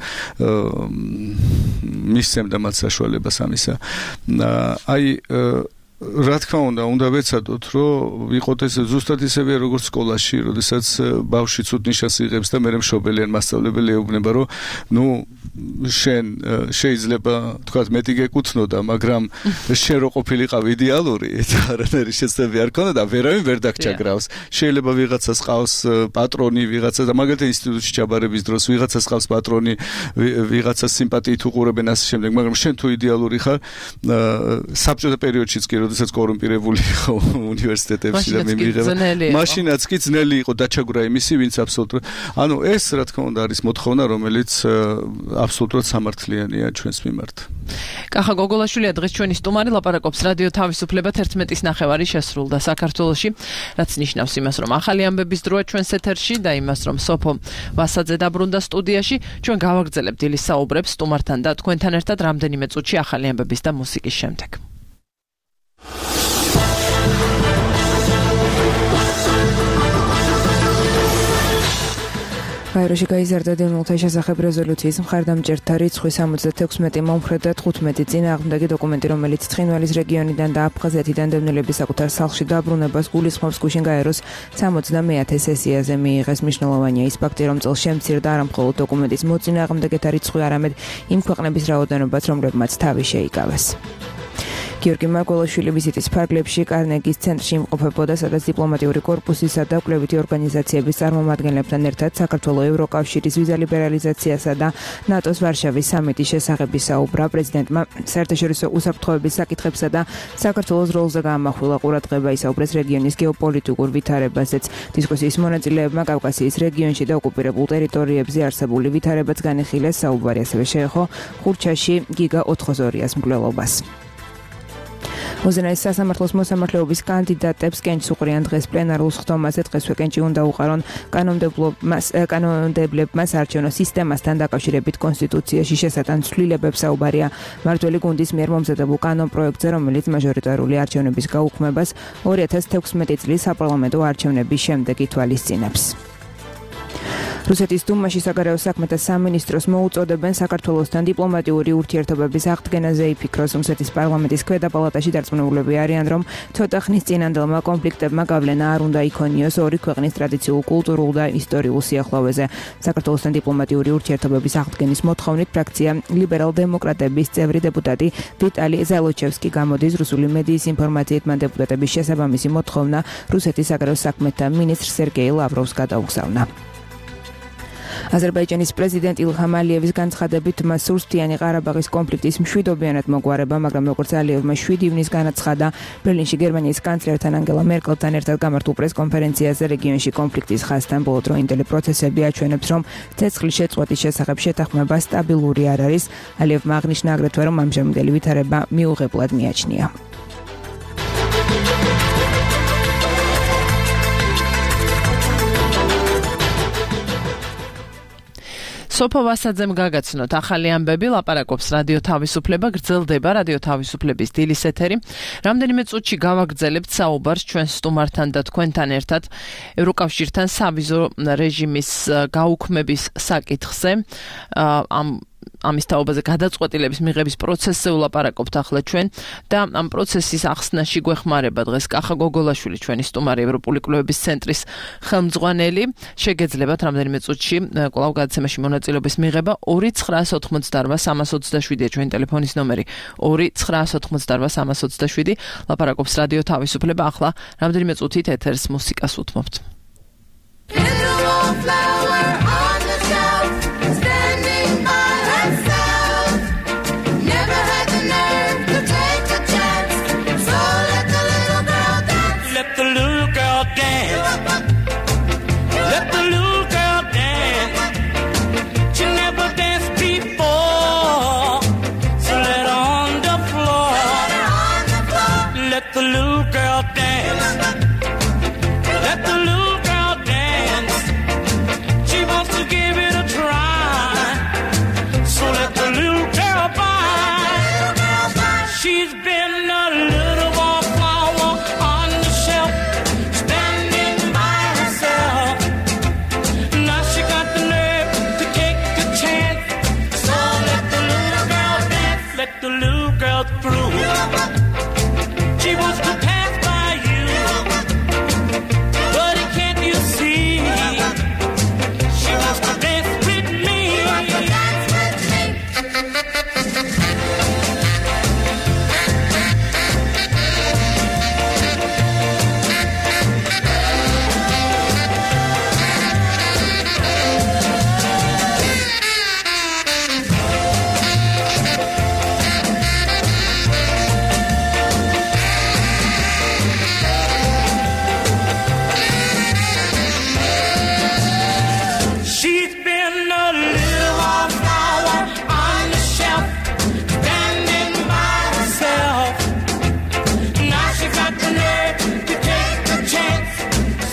მისცემდა მათ საშუალებას ამისა. აი რა თქმა უნდა, უნდა ვეცადოთ, რომ ვიყოთ ეს ზუსტად ისევე როგორც სკოლაში, როდესაც ბავშვი ცუდ ნიშანს იღებს და მერე მშობელი ან მასწავლებელი ეუბნება, რომ ნუ შენ შეიძლება თქვათ მეტი გეკუთვნოდა, მაგრამ შენ რო ყოფილიყავ იდეალური, არანაირი შეცდები არ ქონდა და ვერავინ ვერ დაგჭაგრავს. შეიძლება ვიღაცას ყავს პატრონი, ვიღაცა და მაგალითად ინსტიტუტში ჩაბარების დროს ვიღაცას ყავს პატრონი, ვიღაცას სიმპათიით უყურებენ ასე შემდეგ, მაგრამ შენ თუ იდეალური ხარ, საბჭოთა პერიოდშიც კი როდესაც კორუმპირებული იყო უნივერსიტეტებში და მიმიღება. მაშინაც კი ძნელი იყო დაჩაგვრა იმისი, ვინც აბსოლუტურად. ანუ ეს რა თქმა უნდა არის მოთხოვნა, რომელიც აბსოლუტურად სამართლიანია ჩვენს მიმართ. კახა გოგოლაშვილია დღეს ჩვენი სტუმარი, ლაპარაკობს რადიო თავისუფლება თერთმეტის ნახევარი შესრულდა საქართველოში, რაც ნიშნავს იმას, რომ ახალი ამბების დროა ჩვენს ეთერში და იმას, რომ სოფო ვასაძე დაბრუნდა სტუდიაში. ჩვენ გავაგრძელებთ დილის საუბრებს სტუმართან და თქვენთან ერთად რამდენიმე წუთში ახალი ამბების და მუსიკის შემდეგ. გაეროში გაიზარდა დემონთა შესახებ რეზოლუციის მხარდამჭერთა რიცხვი სამოცდათექვსმეტი მომხრე და თხუთმეტი წინააღმდეგი დოკუმენტი, რომელიც ცხინვალის რეგიონიდან და აფხაზეთიდან დევნილების საკუთარ სახლში დაბრუნებას გულისხმობს, გუშინ გაეროს სამოცდამეათე სესიაზე მიიღეს. მნიშვნელოვანია ის ფაქტი, რომ წელს შემცირდა არა მხოლოდ დოკუმენტის მოწინააღმდეგეთა რიცხვი, არამედ იმ ქვეყნების რაოდენობაც, რომლებმაც თავი შეიკავეს. გიორგი მარგველაშვილი ვიზიტის ფარგლებში კარნეგის ცენტრში იმყოფებოდა, სადაც დიპლომატიური კორპუსისა და კვლევითი ორგანიზაციების წარმომადგენლებთან ერთად საქართველოს ევროკავშირის ვიზა ლიბერალიზაციასა და ნატოს ვარშავის სამიტის შესახებ ისაუბრა. პრეზიდენტმა საერთაშორისო უსაფრთხოების საკითხებსა და საქართველოს როლზე გაამახვილა ყურადღება, ისაუბრეს რეგიონის გეოპოლიტიკურ ვითარებაზეც. დისკუსიის მონაწილეებმა კავკასიის რეგიონში და ოკუპირებულ ტერიტორიებზე არსებული ვითარებაც განიხილეს. საუბარი ასევე შეეხო ხურჩაში გიგა ოთხმოცდაორიას მკვლელობას. უზენაეს სასამართლოს მოსამართლეობის კანდიდატებს კენჭს უყრიან დღეს პლენარულ სხდომაზე. დღესვე კენჭი უნდა უყარონ კანონმდებლებმა საარჩევნო სისტემასთან დაკავშირებით კონსტიტუციაში შესატან ცვლილებებს. საუბარია მმართველი გუნდის მიერ მომზადებულ კანონპროექტზე, რომელიც მაჟორიტარული არჩევნების გაუქმებას ორი ათას თექვსმეტი წლის საპარლამენტო არჩევნების შემდეგ ითვალისწინებს. რუსეთის დუმაში საგარეო საქმეთა სამინისტროს მოუწოდებენ საქართველოსთან დიპლომატიური ურთიერთობების აღდგენაზე იფიქროს. რუსეთის პარლამენტის ქვედა პალატაში დარწმუნებულები არიან, რომ ცოტა ხნის წინანდელმა კონფლიქტებმა გავლენა არ უნდა იქონიოს ორი ქვეყნის ტრადიციულ, კულტურულ და ისტორიულ სიახლოვეზე. საქართველოსთან დიპლომატიური ურთიერთობების აღდგენის მოთხოვნით ფრაქცია ლიბერალ-დემოკრატების წევრი დეპუტატი ვიტალი ზალოჩევსკი გამოდის. რუსული მედიის ინფორმაციით მან დეპუტატების შესაბამისი მოთხოვნა რუსეთის საგარეო საქმეთა მინისტრ სერგეი ლავროვს გადაუგზავნა. აზერბაიჯანის პრეზიდენტ ილჰამ ალიევის განცხადებით მას სურსთიანი ყარაბაღის კონფლიქტის მშვიდობიანად მოგვარება, მაგრამ როგორც ალიევმა შვიდი ივნის განაცხადა ბერლინში გერმანიის კანცლერთან ანგელა მერკელთან ერთად გამართულ პრესკონფერენციაზე, რეგიონში კონფლიქტის ხაზთან ბოლოდროინდელი პროცესები აჩვენებს, რომ ცეცხლის შეწყვეტის შესახებ შეთანხმება სტაბილური არ არის. ალიევმა აღნიშნა აგრეთვე, რომ ამჟამინდელი ვითარება მიუღებლად მიაჩნია. სოფო ვასაძემ გაგაცნოთ ახალი ამბები, ლაპარაკობს რადიო თავისუფლება, გრძელდება რადიო თავისუფლების დილის ეთერი. რამდენიმე წუთში გავაგრძელებთ საუბარს ჩვენ სტუმართან და თქვენთან ერთად ევროკავშირთან სავიზო რეჟიმის გაუქმების საკითხზე. ამ ამის თაობაზე გადაწყვეტილების მიღების პროცესზე ვლაპარაკობთ ახლა ჩვენ და ამ პროცესის ახსნაში გვეხმარება დღეს კახა გოგოლაშვილი, ჩვენი სტუმარი, ევროპული კვლევების ცენტრის ხელმძღვანელი. შეგეძლებათ რამდენიმე წუთში კვლავ გადაცემაში მონაწილეობის მიღება. ორი ცხრაას ოთხმოცდაორვა სამას ოცდაშვიდია ჩვენი ტელეფონის ნომერი. ორი ცხრაას ოთხმოცდაორვა სამას ოცდაშვიდი. ლაპარაკობს რადიო თავისუფლება. ახლა რამდენიმე წუთით ეთერს მუსიკას უთმობთ. Give it a try. So let the little girl by. She's been a little wallflower on the shelf, standing by herself. Now she got the nerve to take the chance. So let the little girl dance, let the little girl through. She wants to pass by you, but can't you see? She wants to dance with me. She's been a little wallflower on the shelf, standing by herself. Now she got the nerve to take the chance.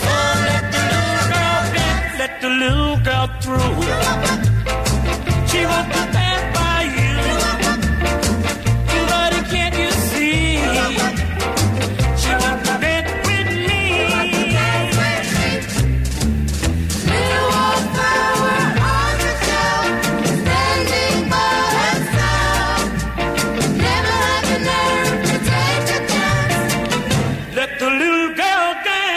So let the little girl dance, let the little girl through. She wants to pass by you, but can't you see? She wants to dance with me. Little wallflower on the shelf, standing by herself. Never had the nerve to take the chance. Let the little girl dance.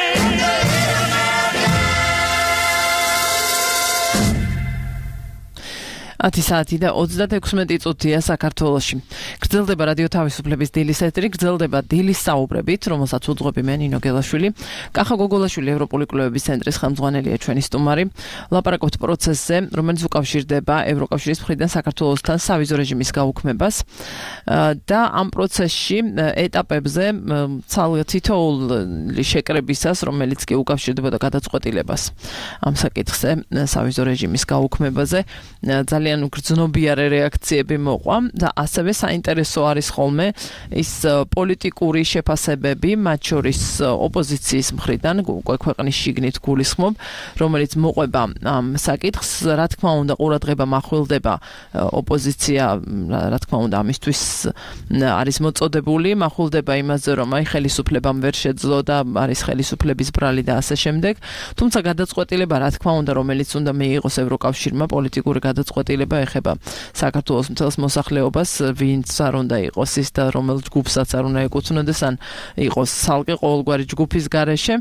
ათი საათი და ოცდაექვსმეტი წუთია საქართველოში. გრძელდება რადიო თავისუფლების დილის ეთერი, გრძელდება დილის საუბრებით, რომელსაც უძღვები მე ნინო გელაშვილი. კახა გოგოლაშვილი ევროპული კვლევების ცენტრის ხელმძღვანელია ჩვენი სტუმარი. ლაპარაკობთ პროცესზე, რომელიც უკავშირდება ევროკავშირის მხრიდან საქართველოსთან სავიზო რეჟიმის გაუქმებას და ამ პროცესში ეტაპებზე თითოეული შეკრებისას, რომელიც კი უკავშირდებოდა გადაწყვეტილებას ამ საკითხზე სავიზო რეჟიმის გაუქმებაზე, ძალიან ძალიან უგრძნობიარე რეაქციები მოყვა და ასევე საინტერესო არის ხოლმე ის პოლიტიკური შეფასებები, მათ შორის ოპოზიციის მხრიდან, უკვე ქვეყნის შიგნით გულისხმობ, რომელიც მოყვება ამ საკითხს, რა თქმა უნდა, ყურადღება მახვილდება ოპოზიცია, რა თქმა უნდა, ამისთვის არის მოწოდებული, მახვილდება იმაზე, რომ აი ხელისუფლებამ ვერ შეძლო და არის ხელისუფლების ბრალი და ასე შემდეგ. თუმცა გადაწყვეტილება, რა თქმა უნდა, რომელიც უნდა მიიღოს ევროკავშირმა, პოლიტიკური გადაწყვეტილება ეხება საქართველოს მთელს მოსახლეობას, ვინც არ უნდა იყოს ის და რომელ ჯგუფსაც არ უნდა ეკუთვნოდეს, ან იყოს ცალკე ყოველგვარი ჯგუფის გარეშე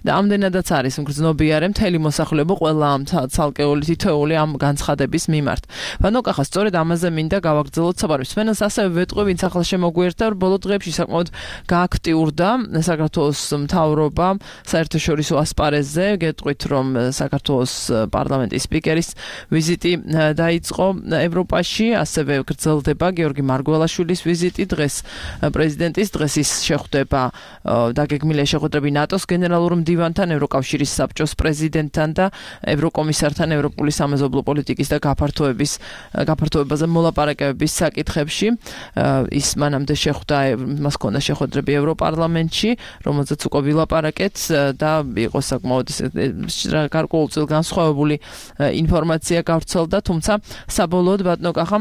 და ამდენადაც არის მგრძნობიარე მთელი მოსახლეობა ყველა ამ ცალკეული თითოეული ამ განცხადების მიმართ. ბანო კახა, სწორედ ამაზე მინდა გავაგრძელოთ საუბარი. სვენელს ასევე ვეტყვი, ვინც ახლა შემოგვიერთდა, ბოლო დღეებში საკმაოდ გააქტიურდა საქართველოს მთავრობა საერთაშორისო ასპარეზზე. გეტყვით, რომ საქართველოს პარლამენტის სპიკერის ვიზიტი დაიწყო ევროპაში, ასევე გრძელდება გიორგი მარგველაშვილის ვიზიტი დღეს პრეზიდენტის დღეს ის შეხვდება დაგეგმილია შეხვედრები ნატოს გენერალურ მდივანთან, ევროკავშირის საბჭოს პრეზიდენტთან და ევროკომისართან ევროპული სამეზობლო პოლიტიკის და გაფართოების გაფართოებაზე მოლაპარაკებების საკითხებში. ის მანამდე შეხვდა, მას ჰქონდა შეხვედრები ევროპარლამენტში, რომელზეც უკვე ვილაპარაკეთ და იყო საკმაოდ გარკვეულწილ განსხვავებული ინფორმაცია გავრცელდა, თუმცა საბოლოოდ ბატონო კახა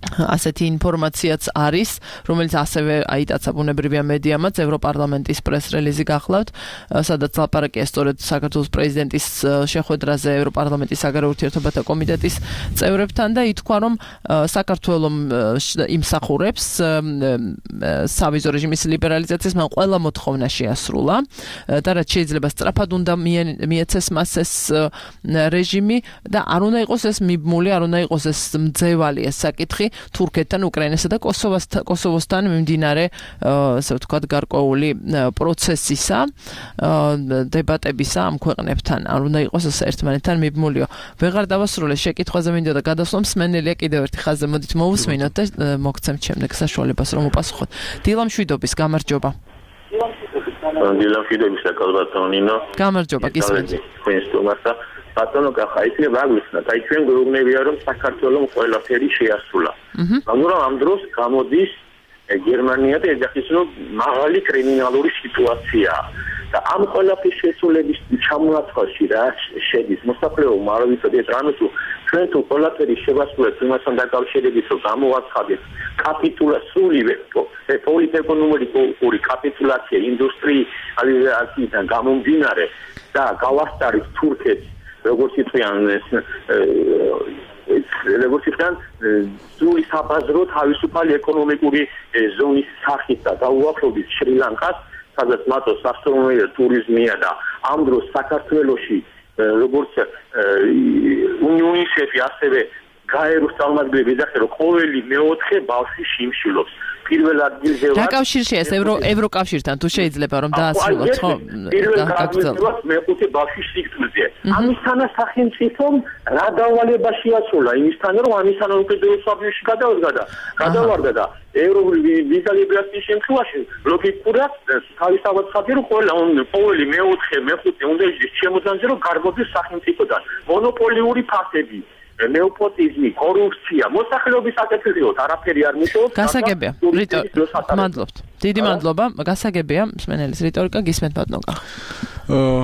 ასეთი ინფორმაციაც არის, რომელიც ასევე აიტაცა ბუნებრივია მედიამაც, ევროპარლამენტის პრეს-რელიზი გახლავთ, სადაც ლაპარაკია სწორედ საქართველოს პრეზიდენტის შეხვედრაზე ევროპარლამენტის საგარეო ურთიერთობათა კომიტეტის წევრებთან და ითქვა, რომ საქართველოს იმსახურებს სავიზო რეჟიმის ლიბერალიზაციას, მაგრამ ყველა მოთხოვნა შეასრულა და რაც შეიძლება სწრაფად უნდა მიეცეს მას ეს რეჟიმი და არ უნდა იყოს ეს მიბმული, არ უნდა იყოს ეს მძევალი ეს საკითხი თურქეთთან, უკრაინასა და კოსოვოსთან მიმდინარე, ასე ვთქვათ, გარკვეული პროცესისა, დებატებისა ამ ქვეყნებთან. არ უნდა იყოს ეს ერთმანეთთან მიბმულიო. ვეღარ დავასრულე შეკითხვაზე მინდა და გადასვლამ სმენელია კიდევ ერთი ხაზზე. მოდით მოვუსმინოთ და მოგცემთ შემდეგ საშუალებას რომ უპასუხოთ. დილა მშვიდობის, გამარჯობა. დილა მშვიდობის და კალბატონინო. გამარჯობა, გისმენთ. თქვენს სტუმარსა ბატონო კახა, იცი ვაგვიხსნა, აი ჩვენ გვეუბნებია რომ საქართველოს ყველაფერი შეასრულა. მაგრამ ამ დროს გამოდის გერმანია და ეძახის რომ მაღალი კრიმინალური სიტუაციაა. და ამ ყველაფრის შესრულების ჩამონაცვლაში რა შედის მოსახლეობა, არ ვიცოდი ეს რამე თუ ჩვენ თუ ყველაფერი შევასრულებთ იმასთან დაკავშირებით, რომ გამოვაცხადეთ კაპიტულაცია, სრულივე პოლიტეკონომიკური კაპიტულაცია ინდუსტრიალიზაციიდან გამომდინარე და გავასწარით თურქეთს, როგორც იტყვიან როგორც იტყვიან სრული საბაზრო თავისუფალი ეკონომიკური ზონის სახით და დაუახლოვდით შრი-ლანკას, სადაც მათო სასწავლებელი ტურიზმია და ამ დროს საქართველოში როგორც უნიუნისეფი ასევე გაეროს წარმომადგენლები ეძახიან, რომ ყოველი მეოთხე ბავშვი შიმშილობს. პირველ ადგილზე რა კავშირშია ეს ევროკავშირთან თუ შეიძლება რომ დაასრულოთ ხო? პირველ ადგილზე მეხუთე ბავშვი სიკვდილზე. ამისთანა სახელმწიფომ რა დავალება შეასრულა იმისთან, რომ ამისთანა უკიდურეს საბჭოში გადავარდა და გადავარდა და ევროპული ვიზა ლიბერაციის შემთხვევაში ლოგიკურად თავისთავად ხდება, რომ ყველა ყოველი მეოთხე მეხუთე უნდა ის შემოძანზე, რომ გარბოდეს სახელმწიფოდან მონოპოლიური ფაქტები. ნეოპოტიზმი, კორუფცია, მოსახლეობის აკეთებიოთ, არაფერი არ მუშაობს. გასაგებია. მადლობთ. დიდი მადლობა. გასაგებია, მსმენელის რიტორიკა გისმენთ ბატონო. აა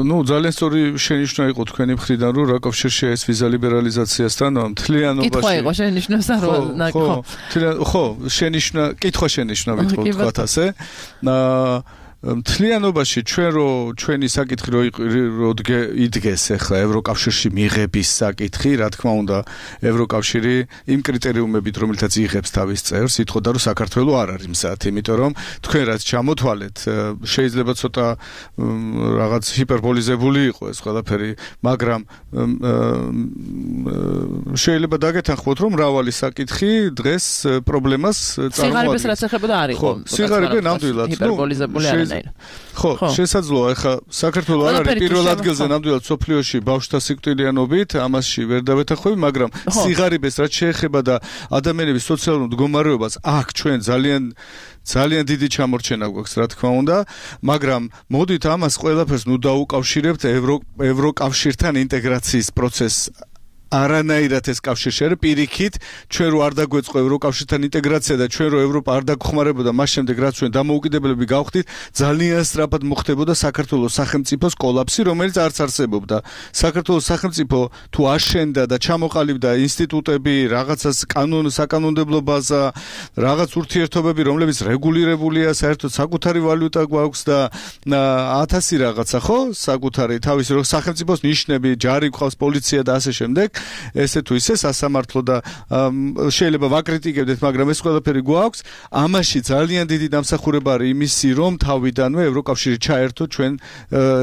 ნუ ძალიან სწორი შენიშვნა იყო თქვენი მხრიდან, რომ რა კავშირშია ეს ვიზა ლიბერალიზაციასთან, მთლიანობაში. კითხვა იყო შენიშვნასა რომ ხო, ხო, შენიშვნა, კითხვა შენიშვნა ვიტყოდ თქვათ ასე. აა მთლიანობაში ჩვენ რო ჩვენი საკითხი რო იდგეს ახლა ევროკავშირში მიღების საკითხი, რა თქმა უნდა, ევროკავშირი იმ კრიტერიუმებით, რომელთაც იღებს თავის წევრს, ითხოვდა, რომ საქართველოს არ არის მზად, იმიტომ რომ თქვენ რაც ჩამოთვალეთ, შეიძლება ცოტა რაღაც ჰიპერბოლიზებული იყო ეს ყველაფერი, მაგრამ შეიძლება დაგეთანხმოთ, რომ მრავალი საკითხი დღეს პრობლემას წარმოადგენს. სიღარიბეს რაც ეხებოდა არ იყო. სიღარიბე ნამდვილად, ჰიპერბოლიზებული არ ხო, შესაძლოა, ახლა საქართველოს არ არის პირველ ადგილზე ნამდვილად სოფლიოში ბავშვთა სიკვდილიანობით, ამასში ვერ დავეთანხმები, მაგრამ სიღარიბეს რაც შეეხება და ადამიანების სოციალურ მდგომარეობას, აქ ჩვენ ძალიან ძალიან დიდი ჩამორჩენა გვაქვს, რა თქმა უნდა, მაგრამ მოდით ამას ყველაფერს ნუ დაუკავშირებთ ევროკავშირთან ინტეგრაციის პროცესს. არანაირად ეს კავშირი შეერე პირიქით ჩვენ რო არ დაგვეწყო ევროკავშირთან ინტეგრაცია და ჩვენ რო ევროპა არ დაგხმარებოდა მას შემდეგ რაც ჩვენ დამოუკიდებლები გავხდით ძალიან სწრაფად მოხდებოდა საქართველოს სახელმწიფოს კოლაფსი რომელიც არც არსებობდა საქართველოს სახელმწიფო თუ აშენდა და ჩამოყალიბდა ინსტიტუტები რაღაცას კანონ საკანონმდებლო ბაზა რაღაც ურთიერთობები რომლებიც რეგულირებულია საერთოდ საკუთარი ვალუტა გვაქვს და ათასი რაღაცა ხო საკუთარი თავის რო სახელმწიფოს ნიშნები ჯარი გვყავს პოლიცია და ასე შემდეგ ესე თუ ისე სასამართლო და შეიძლება ვაკრიტიკებდეთ, მაგრამ ეს ყველაფერი გვაქვს. ამაში ძალიან დიდი დამსახურება არის იმისი, რომ თავიდანვე ევროკავშირი ჩაერთო ჩვენ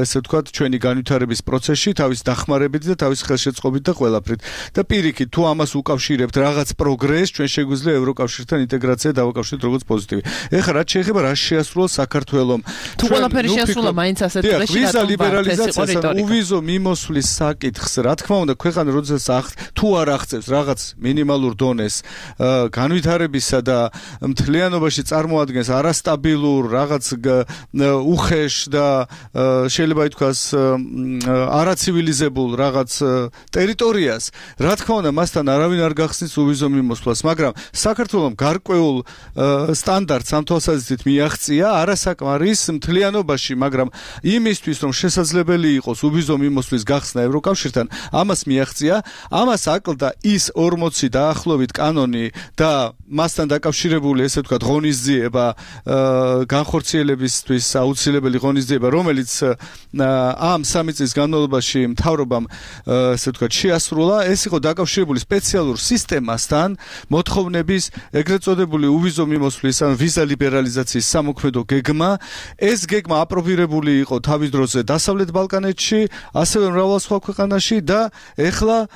ესე ვთქვათ, ჩვენი განვითარების პროცესში, თავის დახმარებით და თავის ხელშეწყობით და ყველაფრით. და პირიქით, თუ ამას უკავშირებთ რაღაც პროგრესს, ჩვენ შეგვიძლია ევროკავშირთან ინტეგრაცია დავაკავშიროთ როგორც პოზიტივი. ეხლა რაც შეეხება რა შეასრულა საქართველოს. თუ ყველაფერი შეასრულა, მაინც ასეთ პრესში ვიზა ლიბერალიზაცია, უვიზო მიმოსვლის საკითხს, რა თქმა უნდა, ქვეყანა როდესაც თუ არ აღწევს რაღაც მინიმალურ დონეს განვითარებისა და მთლიანობაში წარმოადგენს არასტაბილურ რაღაც უხეშ და შეიძლება ითქვას არაცივილიზებულ რაღაც ტერიტორიას რა თქმა უნდა მასთან არავინ არ გახსნის უვიზო მიმოსვლას მაგრამ საქართველოს გარკვეულ სტანდარტს ამ თვალსაზრისით მიაღწია არასაკმარის მთლიანობაში მაგრამ იმისთვის რომ შესაძლებელი იყოს უვიზო მიმოსვლის გახსნა ევროკავშირთან ამას მიაღწია ამას აკლდა ის ორმოცი დაახლოებით კანონი და მასთან დაკავშირებული ესე ვთქვათ ღონისძიება განხორციელებისთვის აუცილებელი ღონისძიება რომელიც ამ სამი წლის განმავლობაში მთავრობამ ესე ვთქვათ შეასრულა ეს იყო დაკავშირებული სპეციალურ სისტემასთან მოთხოვნების ეგრეთ წოდებული უვიზო მიმოსვლის ან ვიზა ლიბერალიზაციის სამოქმედო გეგმა ეს გეგმა აპრობირებული იყო თავის დროზე დასავლეთ ბალკანეთში ასევე მრავალ სხვა ქვეყანაში და ეხლა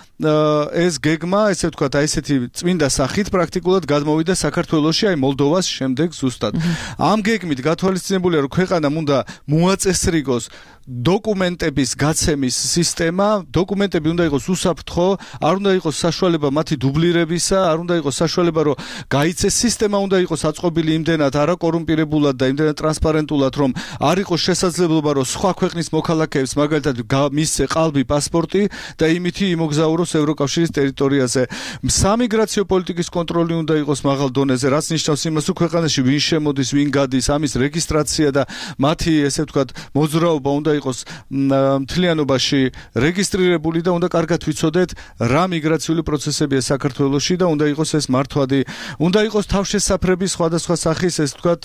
ეს გეგმა, ესე ვთქვათ, აი ესეთი წმინდა სახით პრაქტიკულად გადმოვიდა საქართველოში, აი მოლდოვას შემდეგ ზუსტად. ამ გეგმით გათვალისწინებულია, რომ ქვეყანამ უნდა მოაწესრიგოს დოკუმენტების გაცემის სისტემა, დოკუმენტები უნდა იყოს უსაფრთხო, არ უნდა იყოს საშუალება მათი დუბლირებისა, არ უნდა იყოს საშუალება, რომ გაიცეს სისტემა უნდა იყოს აწყობილი იმდენად არაკორუმპირებულად და იმდენად ტრანსპარენტულად, რომ არ იყოს შესაძლებლობა, რომ სხვა ქვეყნის მოქალაქეებს მაგალითად მისცე ყალბი პასპორტი და იმითი იმოგზაუროს ცხოვრობს ევროკავშირის ტერიტორიაზე. სამიგრაციო პოლიტიკის კონტროლი უნდა იყოს მაღალ დონეზე, რაც ნიშნავს იმას, რომ ქვეყანაში ვინ შემოდის, ვინ გადის, ამის რეგისტრაცია და მათი ესე ვთქვათ მოძრაობა უნდა იყოს მთლიანობაში რეგისტრირებული და უნდა კარგად ვიცოდეთ რა მიგრაციული პროცესებია საქართველოში და უნდა იყოს ეს მართვადი, უნდა იყოს თავშესაფრების სხვადასხვა სახის ეს ვთქვათ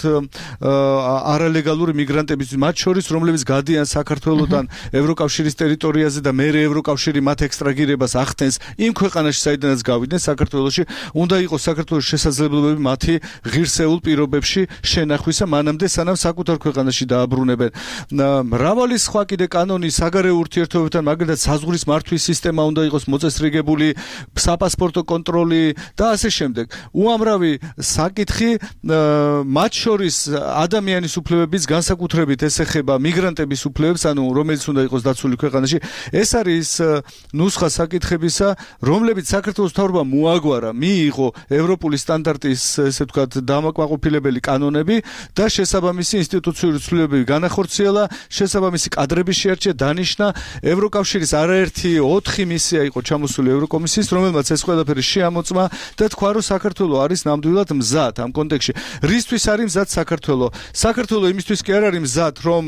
არალეგალური მიგრანტების, მათ შორის რომლებიც გადიან საქართველოდან ევროკავშირის ტერიტორიაზე და მერე ევროკავშირი მათ ექსტრაგირებას ახდენს იმ ქვეყანაში, საიდანაც გავიდნენ საქართველოში, უნდა იყოს საქართველოს შესაძლებლობები მათი ღირსეულ პირობებში შენახვისა, მანამდე სანამ საკუთარ ქვეყანაში დააბრუნებენ. მრავალი სხვა კიდე კანონი საგარეო ურთიერთობებთან, მაგალითად საზღვრის მართვის სისტემა უნდა იყოს მოწესრიგებული, საპასპორტო კონტროლი და ასე შემდეგ. უამრავი საკითხი, მათ შორის ადამიანის უფლებების განსაკუთრებით ეს ეხება მიგრანტების უფლებებს, ანუ რომელიც უნდა იყოს დაცული ქვეყანაში. ეს არის ნუსხა საკითხებისა, რომლებიც საქართველოს მთავრობამ მოაგვარა, მიიღო ევროპული სტანდარტის, ესე ვთქვათ, დამაკმაყოფილებელი კანონები და შესაბამისი ინსტიტუციური ცვლილებები განახორციელა, შესაბამისი კადრები შეარჩია, დანიშნა. ევროკავშირის არაერთი ოთხი მისია იყო ჩამოსული ევროკომისიის, რომელმაც ეს ყველაფერი შეამოწმა და თქვა, რომ საქართველო არის ნამდვილად მზად ამ კონტექსტში. რისთვის არის მზად საქართველო? საქართველო იმისთვის კი არ არის მზად, რომ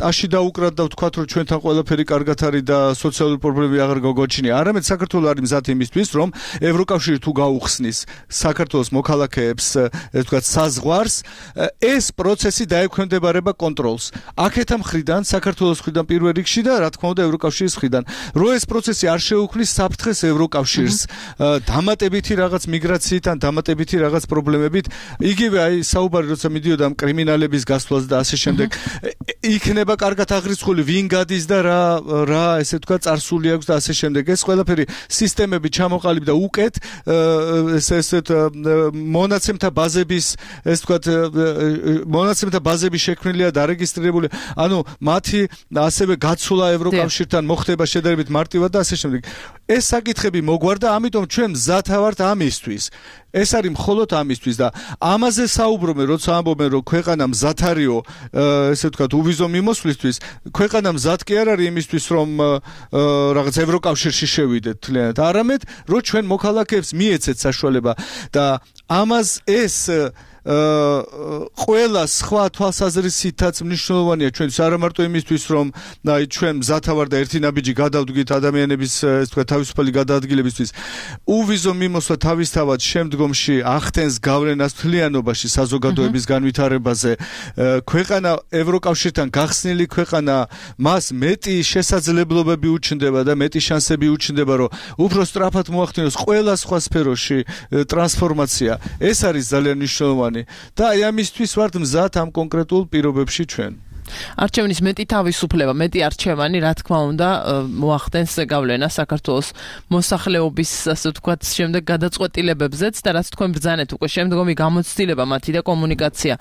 ტაში დაუკრათ და ვთქვათ, რომ ჩვენთან ყველაფერი კარგად არის და სოციალური პრობლემები აღარ გაგოჩინია. არამედ საქართველო არის მზად იმისთვის, რომ ევროკავშირი თუ გაუხსნის საქართველოს მოქალაქეებს, ეს ვთქვათ, საზღვარს, ეს პროცესი დაექვემდებარება კონტროლს. აქეთა მხრიდან, საქართველოს მხრიდან პირველ რიგში და რა თქმა უნდა ევროკავშირის მხრიდან. რო ეს პროცესი არ შეუქმნის საფრთხეს ევროკავშირს, დამატებითი რაღაც მიგრაციით ან დამატებითი რაღაც პრობლემებით, იგივე აი საუბარი როცა მიდიოდა ამ კრიმინალების გასვლას და ასე შემდეგ, იქნება კარგად აღრიცხული ვინ გადის და რა რა ესე თქვა წარსული აქვს და ასე შემდეგ. ეს ყველაფერი სისტემები ჩამოყალიბდა უკეთ, ეს ესეთ მონაცემთა ბაზების, ეს თქვა მონაცემთა ბაზები შექმნილია და არეგისტრირებული, ანუ მათი ასევე გაცვლა ევროკავშირთან მოხდება შედარებით მარტივად და ასე შემდეგ. ეს საკითხები მოგვარდა, ამიტომ ჩვენ მზად ვართ ამისთვის. ეს არის მხოლოდ ამისთვის და ამაზე საუბრობენ, როცა ამბობენ, რომ ქვეყანა მზად არისო, ესე ვთქვათ, უვიზო მიმოსვლისთვის, ქვეყანა მზად კი არ არის იმისთვის, რომ რაღაც ევროკავშირში შევიდეთ თლიანად, არამედ რომ ჩვენ მოქალაქეებს მიეცეთ საშუალება და ამას ეს ყველა სხვა თვალსაზრისითაც მნიშვნელოვანია ჩვენთვის, არა მარტო იმისთვის, რომ აი ჩვენ მზად ვართ და ერთი ნაბიჯი გადავდგით ადამიანების, ეს თქვა, თავისუფალი გადაადგილებისთვის. უვიზო მიმოსვლა თავისთავად შემდგომში ახდენს გავლენას მთლიანობაში საზოგადოების განვითარებაზე. ქვეყანა ევროკავშირთან გახსნილი ქვეყანა, მას მეტი შესაძლებლობები უჩნდება და მეტი შანსები უჩნდება, რომ უფრო სწრაფად მოახდინოს ყველა სხვა სფეროში ტრანსფორმაცია. ეს არის ძალიან მნიშვნელოვანი. და აი ამისთვის ვართ მზად ამ კონკრეტულ პირობებში ჩვენ. არჩევნის მეტი თავისუფლება, მეტი არჩევანი, რა თქმა უნდა, მოახდენს გავლენას საქართველოს მოსახლეობის, ასე ვთქვათ, შემდეგ გადაწყვეტილებებზეც და რაც თქვენ ბრძანეთ უკვე შემდგომი გამოცდილება მათი და კომუნიკაცია,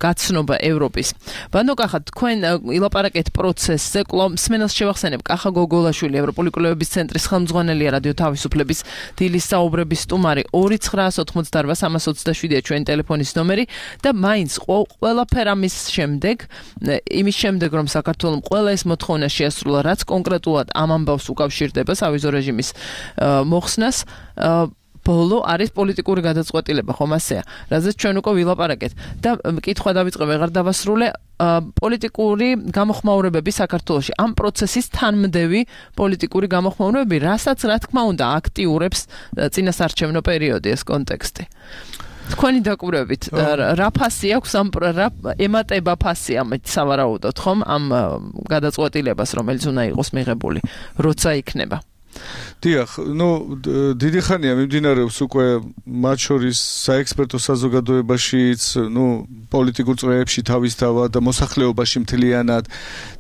გაცნობა ევროპის. ბანო კახა, თქვენ ილაპარაკეთ პროცესზე, კვლავ მსმენელს შევახსენებ, კახა გოგოლაშვილი, ევროპული კვლევების ცენტრის ხელმძღვანელია, რადიო თავისუფლების დილის საუბრების სტუმარი. ორი ცხრაას ოცდაოთხმოცდაარბა სამას ოცდაშვიდია ჩვენი ტელეფონის ნომერი და მაინც ყველაფერ ამის შემდეგ იმის შემდეგ რომ საქართველოს ყველა ეს მოთხოვნა შეასრულა, რაც კონკრეტულად ამ ამბავს უკავშირდება სავიზო რეჟიმის მოხსნას, ბოლო არის პოლიტიკური გადაწყვეტილება, ხომ ასეა, რაზეც ჩვენ უკვე ვილაპარაკეთ და მკითხვა დავიწყე, ვეღარ დავასრულე, პოლიტიკური გამოხმაურებები საქართველოში, ამ პროცესის თანმდევი პოლიტიკური გამოხმაურებები, რასაც რა თქმა უნდა აქტიურებს წინასარჩევნო პერიოდი ეს კონტექსტი. თქვენი დაკვირვებით, რა ფასი აქვს ამ რა ემატება ფასი ამ სავარაუდოდ, ხომ, ამ გადაწყვეტილებას, რომელიც უნდა იყოს მიღებული, როცა იქნება. დიახ, ნუ დიდი ხანია მიმდინარეობს უკვე მათ შორის საექსპერტო საზოგადოებაშიც, ნუ პოლიტიკურ წრეებში თავისთავად და მოსახლეობაში მთლიანად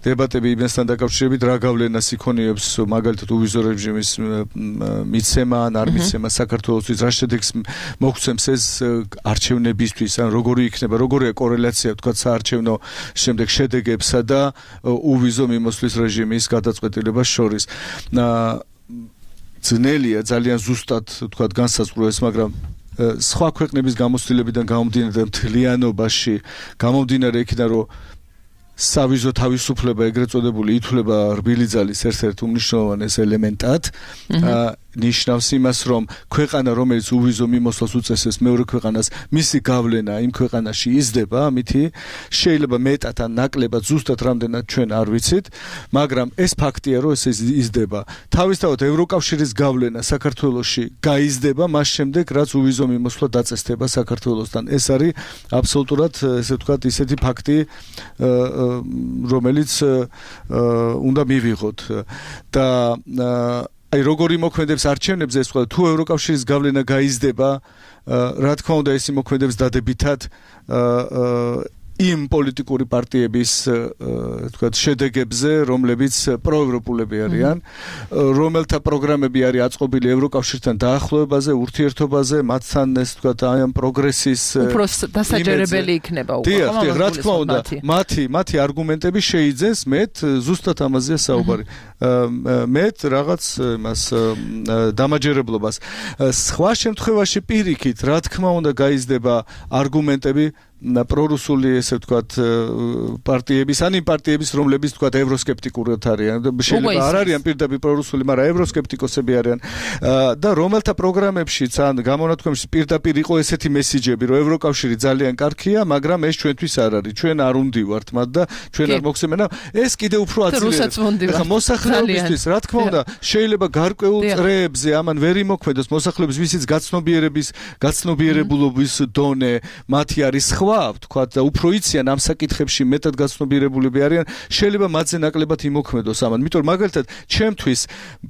დებატები იმასთან დაკავშირებით, რა გავლენას იქონიებს მაგალითად უვიზო რეჟიმის მიცემა ან არ მიცემა საქართველოსთვის, რა შედეგს მოგცემს ეს არჩევნებისთვის, ან როგორი იქნება, როგორია კორელაცია, თქვა, საარჩევნო შემდეგ შედეგებსა და უვიზო მიმოსვლის რეჟიმის გადაწყვეტილებას შორის. ძნელია ძალიან ზუსტად თქვა განსაზღვროს, მაგრამ სხვა ქვეყნების გამოცდილებიდან გამომდინარე და მთლიანობაში გამომდინარე იქიდან, რომ სავიზო თავისუფლება ეგრეთ წოდებული ითვლება რბილი ძალის ერთ-ერთ უმნიშვნელოვანეს ელემენტად. ნიშნავს იმას, რომ ქვეყანა, რომელიც უვიზო მიმოსვლას უწესებს მეორე ქვეყანას, მისი გავლენა იმ ქვეყანაში იზრდება, ამითი შეიძლება მეტად ან ნაკლებად ზუსტად რამდენად ჩვენ არ ვიცით, მაგრამ ეს ფაქტია, რომ ეს იზრდება. თავისთავად ევროკავშირის გავლენა საქართველოში გაიზრდება მას შემდეგ, რაც უვიზო მიმოსვლა დაწესდება საქართველოსთან. ეს არის აბსოლუტურად, ესე ვთქვათ, ისეთი ფაქტი, რომელიც უნდა მივიღოთ და აი როგორი მოქმედებს არჩევნებზე ეს თქვა თუ ევროკავშირის გავლენა გაიზრდება, რა თქმა უნდა ეს მოქმედებს დადებითად იმ პოლიტიკური პარტიების თქვა შედეგებზე, რომლებიც პროევროპულები არიან, რომელთა პროგრამები არის აწყობილი ევროკავშირთან დაახლოებაზე, ურთიერთობაზე, მათთან ეს თქვა აი ამ პროგრესის უფრო დასაჯერებელი იქნება უკვე. დიახ, დიახ, რა თქმა უნდა, მათი მათი არგუმენტები შეიძენს მეტ ზუსტად ამაზეა საუბარი. მეტ რაღაც იმას დამაჯერებლობას. სხვა შემთხვევაში პირიქით, რა თქმა უნდა, გაიზრდება არგუმენტები პრორუსული ესე ვთქვათ პარტიების, ან იმ პარტიების, რომლებიც ვთქვათ ევროსკეპტიკურად არიან. შეიძლება არ არიან პირდაპირ პრორუსული, მაგრამ ევროსკეპტიკოსები არიან და რომელთა პროგრამებშიც ან გამონათქვამებში პირდაპირ იყო ესეთი მესიჯები, რომ ევროკავშირი ძალიან კარგია, მაგრამ ეს ჩვენთვის არ არის. ჩვენ არ უნდივართ მათ და ჩვენ არ მოგცემენ. ეს კიდე უფრო აწილიერებს. ახლა მოსახლეობისთვის, რა თქმა უნდა, შეიძლება გარკვეულ წრეებზე ამან ვერ იმოქმედოს მოსახლეობის ვისიც გაცნობიერების, გაცნობიერებულობის დონე მათი არის სხვა ვთქვათ და უფრო იციან ამ საკითხებში მეტად გაცნობიერებულები არიან, შეიძლება მათზე ნაკლებად იმოქმედოს ამან. იმიტომ მაგალითად, ჩემთვის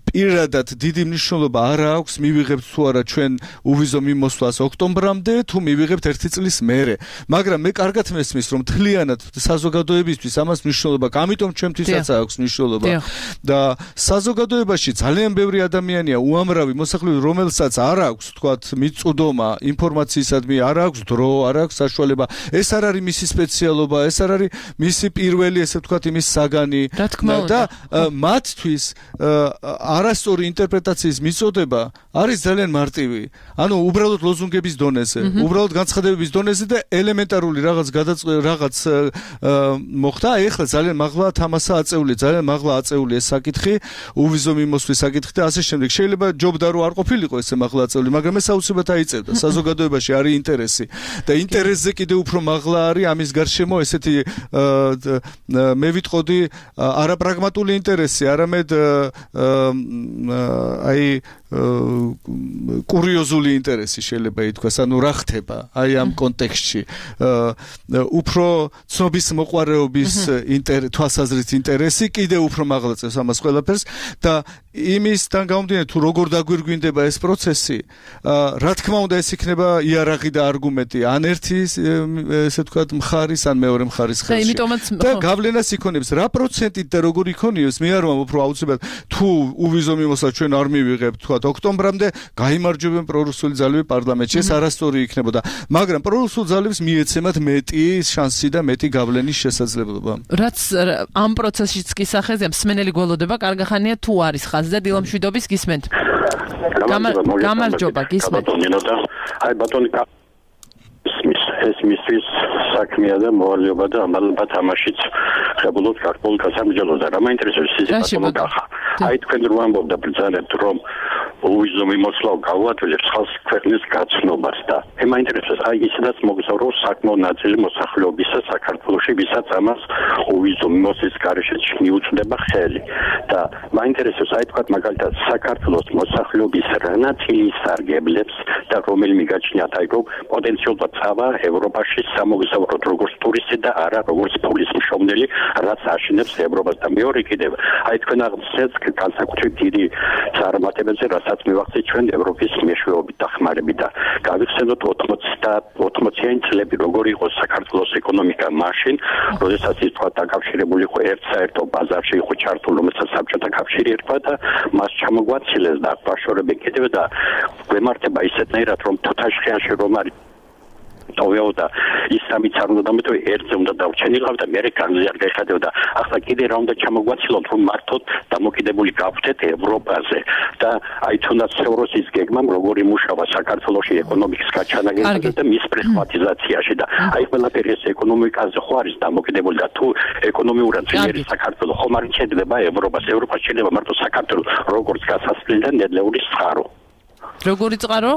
პირადად დიდი მნიშვნელობა არ აქვს მივიღებთ თუ არა ჩვენ უვიზო მიმოსვლას ოქტომბრამდე, თუ მივიღებთ ერთი წლის მერე. მაგრამ მე კარგად მესმის, რომ თლიანად საზოგადოებისთვის ამას მნიშვნელობა, ამიტომ ჩემთვისაც აქვს მნიშვნელობა. და საზოგადოებაში ძალიან ბევრი ადამიანია უამრავი მოსახლეობა, რომელსაც არ აქვს თქვათ მიწვდომა ინფორმაციისადმი, არ აქვს დრო, არ აქვს საშუალება. ეს არ არის მისი სპეციალობა, ეს არ არის მისი პირველი, ესე ვთქვათ, იმის საგანი და მათთვის არასწორი ინტერპრეტაციის მიწოდება არის ძალიან მარტივი. ანუ უბრალოდ ლოზუნგების დონეზე, უბრალოდ განცხადებების დონეზე და ელემენტარული რაღაც რაღაც მოხდა. ეხლა ძალიან მაღლა თამასა აწეული, ძალიან მაღლა აწეული ეს საკითხი, უვიზო მიმოსვლის საკითხი და ასე შემდეგ. შეიძლება ჯობდა რომ არ ყოფილიყო ესე მაღლა აწეული, მაგრამ ეს აუცილებლად აიწევდა. საზოგადოებაში არის ინტერესი და ინტერესზე კიდე უფრო მაღლა არის ამის გარშემო ესეთი მე ვიტყოდი არაპრაგმატული ინტერესი, არამედ აი კურიოზული ინტერესი შეიძლება ითქვას, ანუ რა ხდება აი ამ კონტექსტში. უფრო ცნობის მოყვარეობის თვალსაზრისით ინტერესი კიდე უფრო მაღლა წევს ამას ყველაფერს და იმისთან გამომდინარე თუ როგორ დაგვირგვინდება ეს პროცესი, რა თქმა უნდა ეს იქნება იარაღი და არგუმენტი ან ერთი ესე ვთქვათ მხარის ან მეორე მხარის ხელში და გავლენას იქონებს რა პროცენტით და როგორ იქონიოს მე არ ვამბობ რომ აუცილებლად თუ უვიზო მიმოსვლა ჩვენ არ მივიღებთ თქვათ ოქტომბრამდე გაიმარჯვებენ პრორუსული ძალები პარლამენტში, ეს არასწორი იქნებოდა, მაგრამ პრორუსულ ძალებს მიეცემათ მეტი შანსი და მეტი გავლენის შესაძლებლობა. რაც ამ პროცესშიც კი სახეზია, მსმენელი გველოდება, კარგახანია თუ არის ხაზი და დილამშვიდობის გისმენთ. გამარჯობა, გისმენთ. აი ბატონი ეს მისთვის საქმეა და მოვალეობა და ამალობა თამაშიც ხებულობ ქართულ გასამჯელოზე. რა მაინტერესებს ის ბატონო გახა. აი თქვენ რო ამბობთ და ბრძანებთ რომ უვიზო მიმოსვლა გავუადვილებს ხალხის ქვეყნის გაცნობას და მე მაინტერესებს აი ისედაც მოგზაურობს საკმაოდ ნაწილი მოსახლეობისა საქართველოში, ვისაც ამას უვიზო მიმოსვლის გარეშე მიუწვდება ხელი და მაინტერესებს აი თქვა მაგალითად საქართველოს მოსახლეობის რა ნაწილი სარგებლებს და რომელი მიგაჩნიათ აი რომ პოტენციალურად წავა ევროპაში სამოგზაუროდ როგორც ტურისტი და არა როგორც პოლის მშობლელი, რაც აშენებს ევროპას და მეორე კიდევ აი თქვენ აღწერთ განსაკუთრებით დიდი წარმატებებზე, რასაც მივახცეთ ჩვენ ევროპის მეშვეობით და ხმარებით და გავიხსენოთ ოცდაათი და ოცდაათიანი წლები როგორი იყო საქართველოს ეკონომიკა მაშინ, როდესაც ის თქვა დაკავშირებული იყო ერთ-საერთო ბაზარში იყო ჩართული, რომელსაც საბჭოთა კავშირი ერქვა და მას ჩამოგვაცილეს და აღფაშორებენ კიდევ და გვემართება ისეთნაირად რომ თუთაშხიანში რომ არის ტოვეოდა ის სამიც არ უნდა დამეთო ერთზე უნდა დავჩენილავდა მე განზე არ გაიხადებოდა ახლა კიდე რა უნდა ჩამოგვაცილოთ რომ მართოდ დამოკიდებული გავხდეთ ევროპაზე და აი თუნდაც ევროსის გეგმამ როგორი მუშავა საქართველოში ეკონომიკის გაჩანაგებაზე და მის პრივატიზაციაში და აი ყველაფერი ეს ეკონომიკაზე ხო არის დამოკიდებული და თუ ეკონომიურად ძლიერი საქართველო ხომ არ შეიძლება ევროპას ევროპას შეიძლება მარტო საქართველო როგორც გასასვლელი და ნედლეული წყარო როგორი წყარო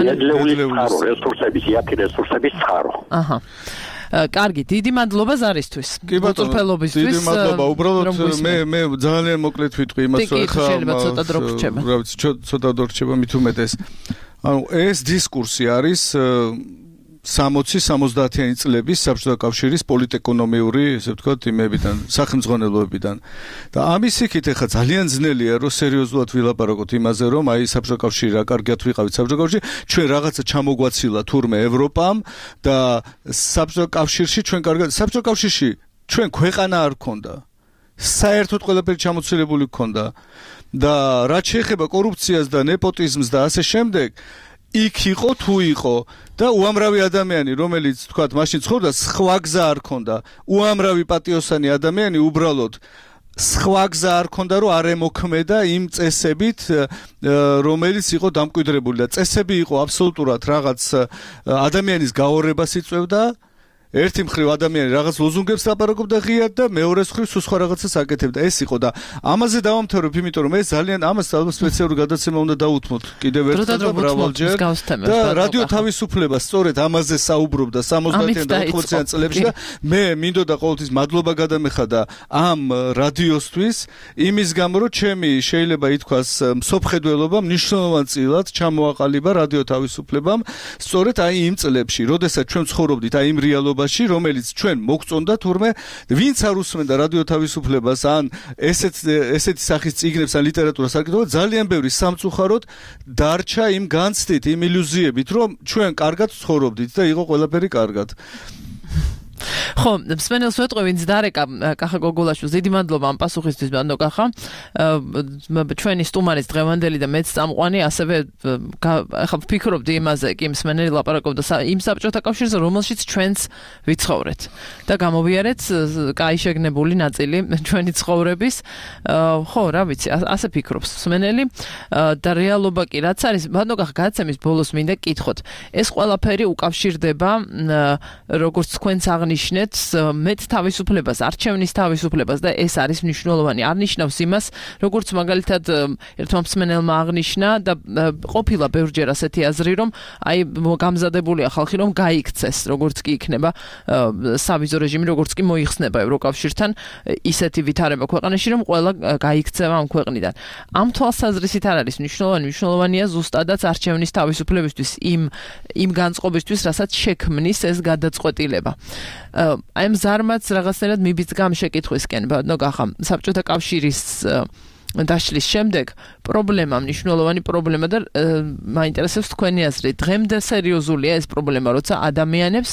ნედლეული წყარო რესურსების იათი რესურსების წყარო აჰა კარგი, დიდი მადლობა ზარისთვის. მოწურფელობისთვის. დიდი მადლობა. უბრალოდ მე მე ძალიან მოკლედ ვიტყვი იმას, რომ ხა შეიძლება ცოტა დრო გრჩება. რა ვიცი, ცოტა დრო გრჩება მით უმეტეს. ანუ ეს დისკურსი არის სამოცი სამოცდაათიანი წლების საბჭოთა კავშირის პოლიტეკონომიური, ესე ვთქვათ, იმებიდან, სახელმძღვანელოებიდან. და ამის იქით ახლა ძალიან ძნელია, რომ სერიოზულად ვილაპარაკოთ იმაზე, რომ აი საბჭოთა კავშირი რა კარგად ვიყავით საბჭოთა კავშირში, ჩვენ რაღაცა ჩამოგვაცილა თურმე ევროპამ და საბჭოთა კავშირში ჩვენ კარგად საბჭოთა კავშირში ჩვენ ქვეყანა არ გქონდა. საერთოდ ყველაფერი ჩამოცილებული გქონდა და რაც შეეხება კორუფციას და ნეპოტიზმს და ასე შემდეგ იქ იყო თუ იყო და უამრავი ადამიანი რომელიც თქვათ მაშინ ცხოვრობდა სხვა გზა არ ქონდა უამრავი პატიოსანი ადამიანი უბრალოდ სხვა გზა არ ქონდა რომ არ ემოქმედა იმ წესებით რომელიც იყო დამკვიდრებული და წესები იყო აბსოლუტურად რაღაც ადამიანის გაორებას იწევდა ერთი მხრივ ადამიანი რაღაც ლოზუნგებს ლაპარაკობდა ღიად და მეორე მხრივ სულ სხვა რაღაცას აკეთებდა. ეს იყო და ამაზე დავამთავრებ, იმიტომ რომ ეს ძალიან ამას ალბათ სპეციალური გადაცემა უნდა დაუთმოთ კიდევ ერთხელ და მრავალჯერ. და რადიო თავისუფლება სწორედ ამაზე საუბრობდა სამოცდაათიან და ოცდაათიან წლებში და მე მინდოდა ყოველთვის მადლობა გადამეხადა ამ რადიოსთვის იმის გამო რომ ჩემი შეიძლება ითქვას მსოფლმხედველობა მნიშვნელოვან წილად ჩამოაყალიბა რადიო თავისუფლებამ სწორედ აი იმ წლებში, როდესაც ჩვენ ცხოვრობდით აი იმ რეალობაში რომელიც ჩვენ მოგწონდა თურმე ვინც არ უსმენდა რადიო თავისუფლებას ან ესეთ ესეთი სახის წიგნებს ან ლიტერატურას არ აკეთებდა ძალიან ბევრი სამწუხაროდ დარჩა იმ განცდით იმ ილუზიებით რომ ჩვენ კარგად ცხოვრობდით და იყო ყველაფერი კარგად ხო, მსმენელს ვეტყვი, ვინც დარეკა კახა გოგოლაშვილს, დიდი მადლობა ამ პასუხისთვის, ბანდო კახა. ჩვენი სტუმარის დღევანდელი და მეც წამყვანი, ასევე ახლა ვფიქრობდი იმაზე, კი მსმენელი ლაპარაკობდა იმ საბჭოთა კავშირზე, რომელშიც ჩვენც ვიცხოვრეთ და გამოვიარეთ კაი შეგნებული ნაწილი ჩვენი ცხოვრების. ხო, რა ვიცი, ასე ფიქრობს მსმენელი და რეალობა კი რაც არის, ბანდო კახა გადაცემის ბოლოს მინდა კითხოთ. ეს ყველაფერი უკავშირდება როგორც თქვენც ნიშნეთ მეც თავისუფლებას, არჩევნის თავისუფლებას და ეს არის მნიშვნელოვანი. არ ნიშნავს იმას, როგორც მაგალითად ერთმა მსმენელმა აღნიშნა და ყოფილა ბევრჯერ ასეთი აზრი, რომ აი გამზადებულია ხალხი, რომ გაიქცეს, როგორც კი იქნება სავიზო რეჟიმი, როგორც კი მოიხსნება ევროკავშირთან ისეთი ვითარება ქვეყანაში, რომ ყველა გაიქცევა ამ ქვეყნიდან. ამ თვალსაზრისით არ არის მნიშვნელოვანი, მნიშვნელოვანია ზუსტადაც არჩევნის თავისუფლებისთვის, იმ იმ განწყობისთვის, რასაც შექმნის ეს გადაწყვეტილება. აი ამ ზარმაც რაღაცნაირად მიბიძგა ამ შეკითხვისკენ, ბატონო კახა, საბჭოთა კავშირის დაშლის შემდეგ პრობლემა, მნიშვნელოვანი პრობლემა და მაინტერესებს თქვენი აზრი. დღემდე სერიოზულია ეს პრობლემა, როცა ადამიანებს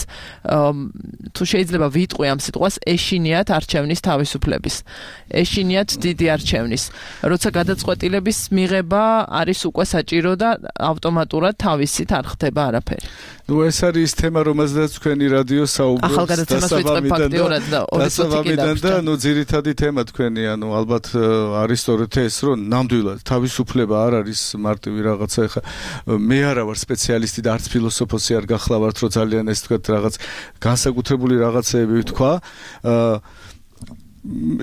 თუ შეიძლება ვიტყვი ამ სიტყვას ეშინიათ არჩევნის თავისუფლების. ეშინიათ დიდი არჩევნის. როცა გადაწყვეტილების მიღება არის უკვე საჭირო და ავტომატურად თავისით არ ხდება არაფერი. ნუ ეს არის თემა, რომელზეც თქვენი რადიო საუბრობს დასაბამიდან და ნუ ძირითადი თემა თქვენი, ანუ ალბათ არის სწორედ ეს, რომ ნამდვილად თავისუფლება არ არის მარტივი რაღაცა. ეხა მე არა ვარ სპეციალისტი და არც ფილოსოფოსი არ გახლავართ, რომ ძალიან ეს თქვა რაღაც განსაკუთრებული რაღაცეები ვთქვა.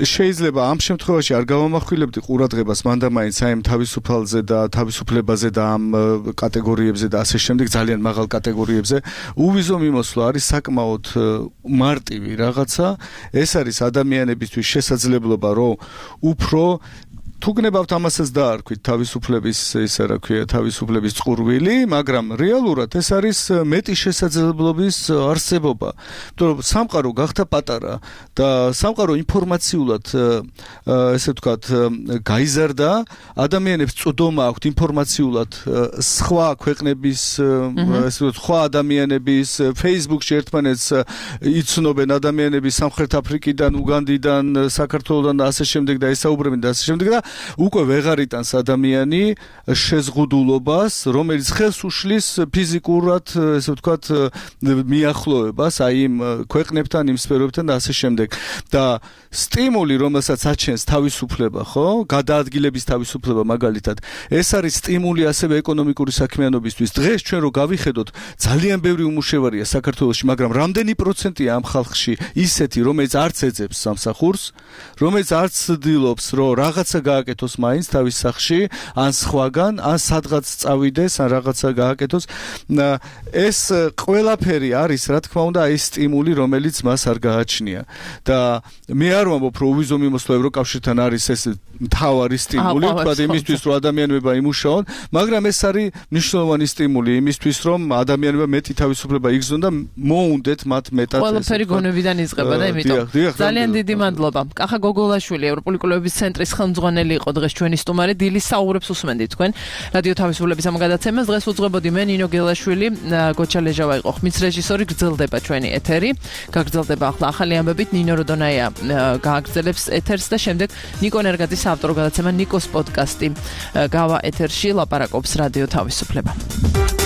შეიძლება ამ შემთხვევაში არ გავამახვილებდი ყურადღებას მანდამაინც აი ამ თავისუფალზე და თავისუფლებაზე და ამ კატეგორიებზე და ასე შემდეგ ძალიან მაღალ კატეგორიებზე უვიზო მიმოსვლა არის საკმაოდ მარტივი რაღაცა. ეს არის ადამიანებისთვის შესაძლებლობა, რომ უფრო თუ გნებავთ ამასაც დაარქვით თავისუფლების ისა რა ქვია თავისუფლების წყურვილი, მაგრამ რეალურად ეს არის მეტი შესაძლებლობის არსებობა. იმიტომ რომ სამყარო გახდა პატარა და სამყარო ინფორმაციულად ესე ვთქვათ გაიზარდა, ადამიანებს წოდომა აქვთ ინფორმაციულად სხვა ქვეყნების ესე ვთქვათ სხვა ადამიანების Facebook-ში ერთმანეთს იცნობენ ადამიანები სამხრეთ აფრიკიდან, უგანდიდან, საქართველოსდან და ასე შემდეგ და ესაუბრებენ და ასე შემდეგ და უკვე ვეღარ იტანს ადამიანი შეზღუდულობას, რომელიც ხელს უშლის ფიზიკურად, ესე ვთქვათ, მიახლოებას აი იმ ქვეყნებთან, იმ სფეროებთან და ასე შემდეგ. და სტიმული, რომელსაც აჩენს თავისუფლება, ხო? გადაადგილების თავისუფლება მაგალითად. ეს არის სტიმული ასევე ეკონომიკური საქმიანობისთვის. დღეს ჩვენ რო გავიხედოთ, ძალიან ბევრი უმუშევარია საქართველოში, მაგრამ რამდენი პროცენტია ამ ხალხში ისეთი, რომელიც არც ეძებს სამსახურს, რომელიც არც ცდილობს, რომ რაღაცა გააკეთოს მაინც თავის სახლში, ან სხვაგან, ან სადღაც წავიდეს, ან რაღაცა გააკეთოს. ეს ყველაფერი არის, რა თქმა უნდა, ეს სტიმული, რომელიც მას არ გააჩნია. და მე არ ვამბობ, რომ უვიზო მიმოსვლა ევროკავშირთან არის ეს მთავარი სტიმული, თქვა იმისთვის, რომ ადამიანებმა იმუშაონ, მაგრამ ეს არის მნიშვნელოვანი სტიმული იმისთვის, რომ ადამიანებმა მეტი თავისუფლება იგზნონ და მოუნდეთ მათ მეტად. ყველაფერი გონებიდან იწყება და იმიტომ ძალიან დიდი მადლობა. კახა გოგოლაშვილი, ევროპული კვლევების ცენტრის ხელმძღვანელი იყო დღეს ჩვენი სტუმარი. დილის საუბრებს უსმენდით თქვენ რადიო თავისუფლების ამ გადაცემას. დღეს უძღვებოდი მე ნინო გელაშვილი, გოჩა ლეჟავა იყო ხმის რეჟისორი. გრძელდება ჩვენი ეთერი. გაგრძელდება ახლა ახალი ამბებით. ნინო როდონაია გააგრძელებს ეთერს და შემდეგ ნიკო ნერგაძის ავტორო გადაცემა ნიკოს პოდკასტი გავა ეთერში ლაპარაკობს რადიო თავისუფლება.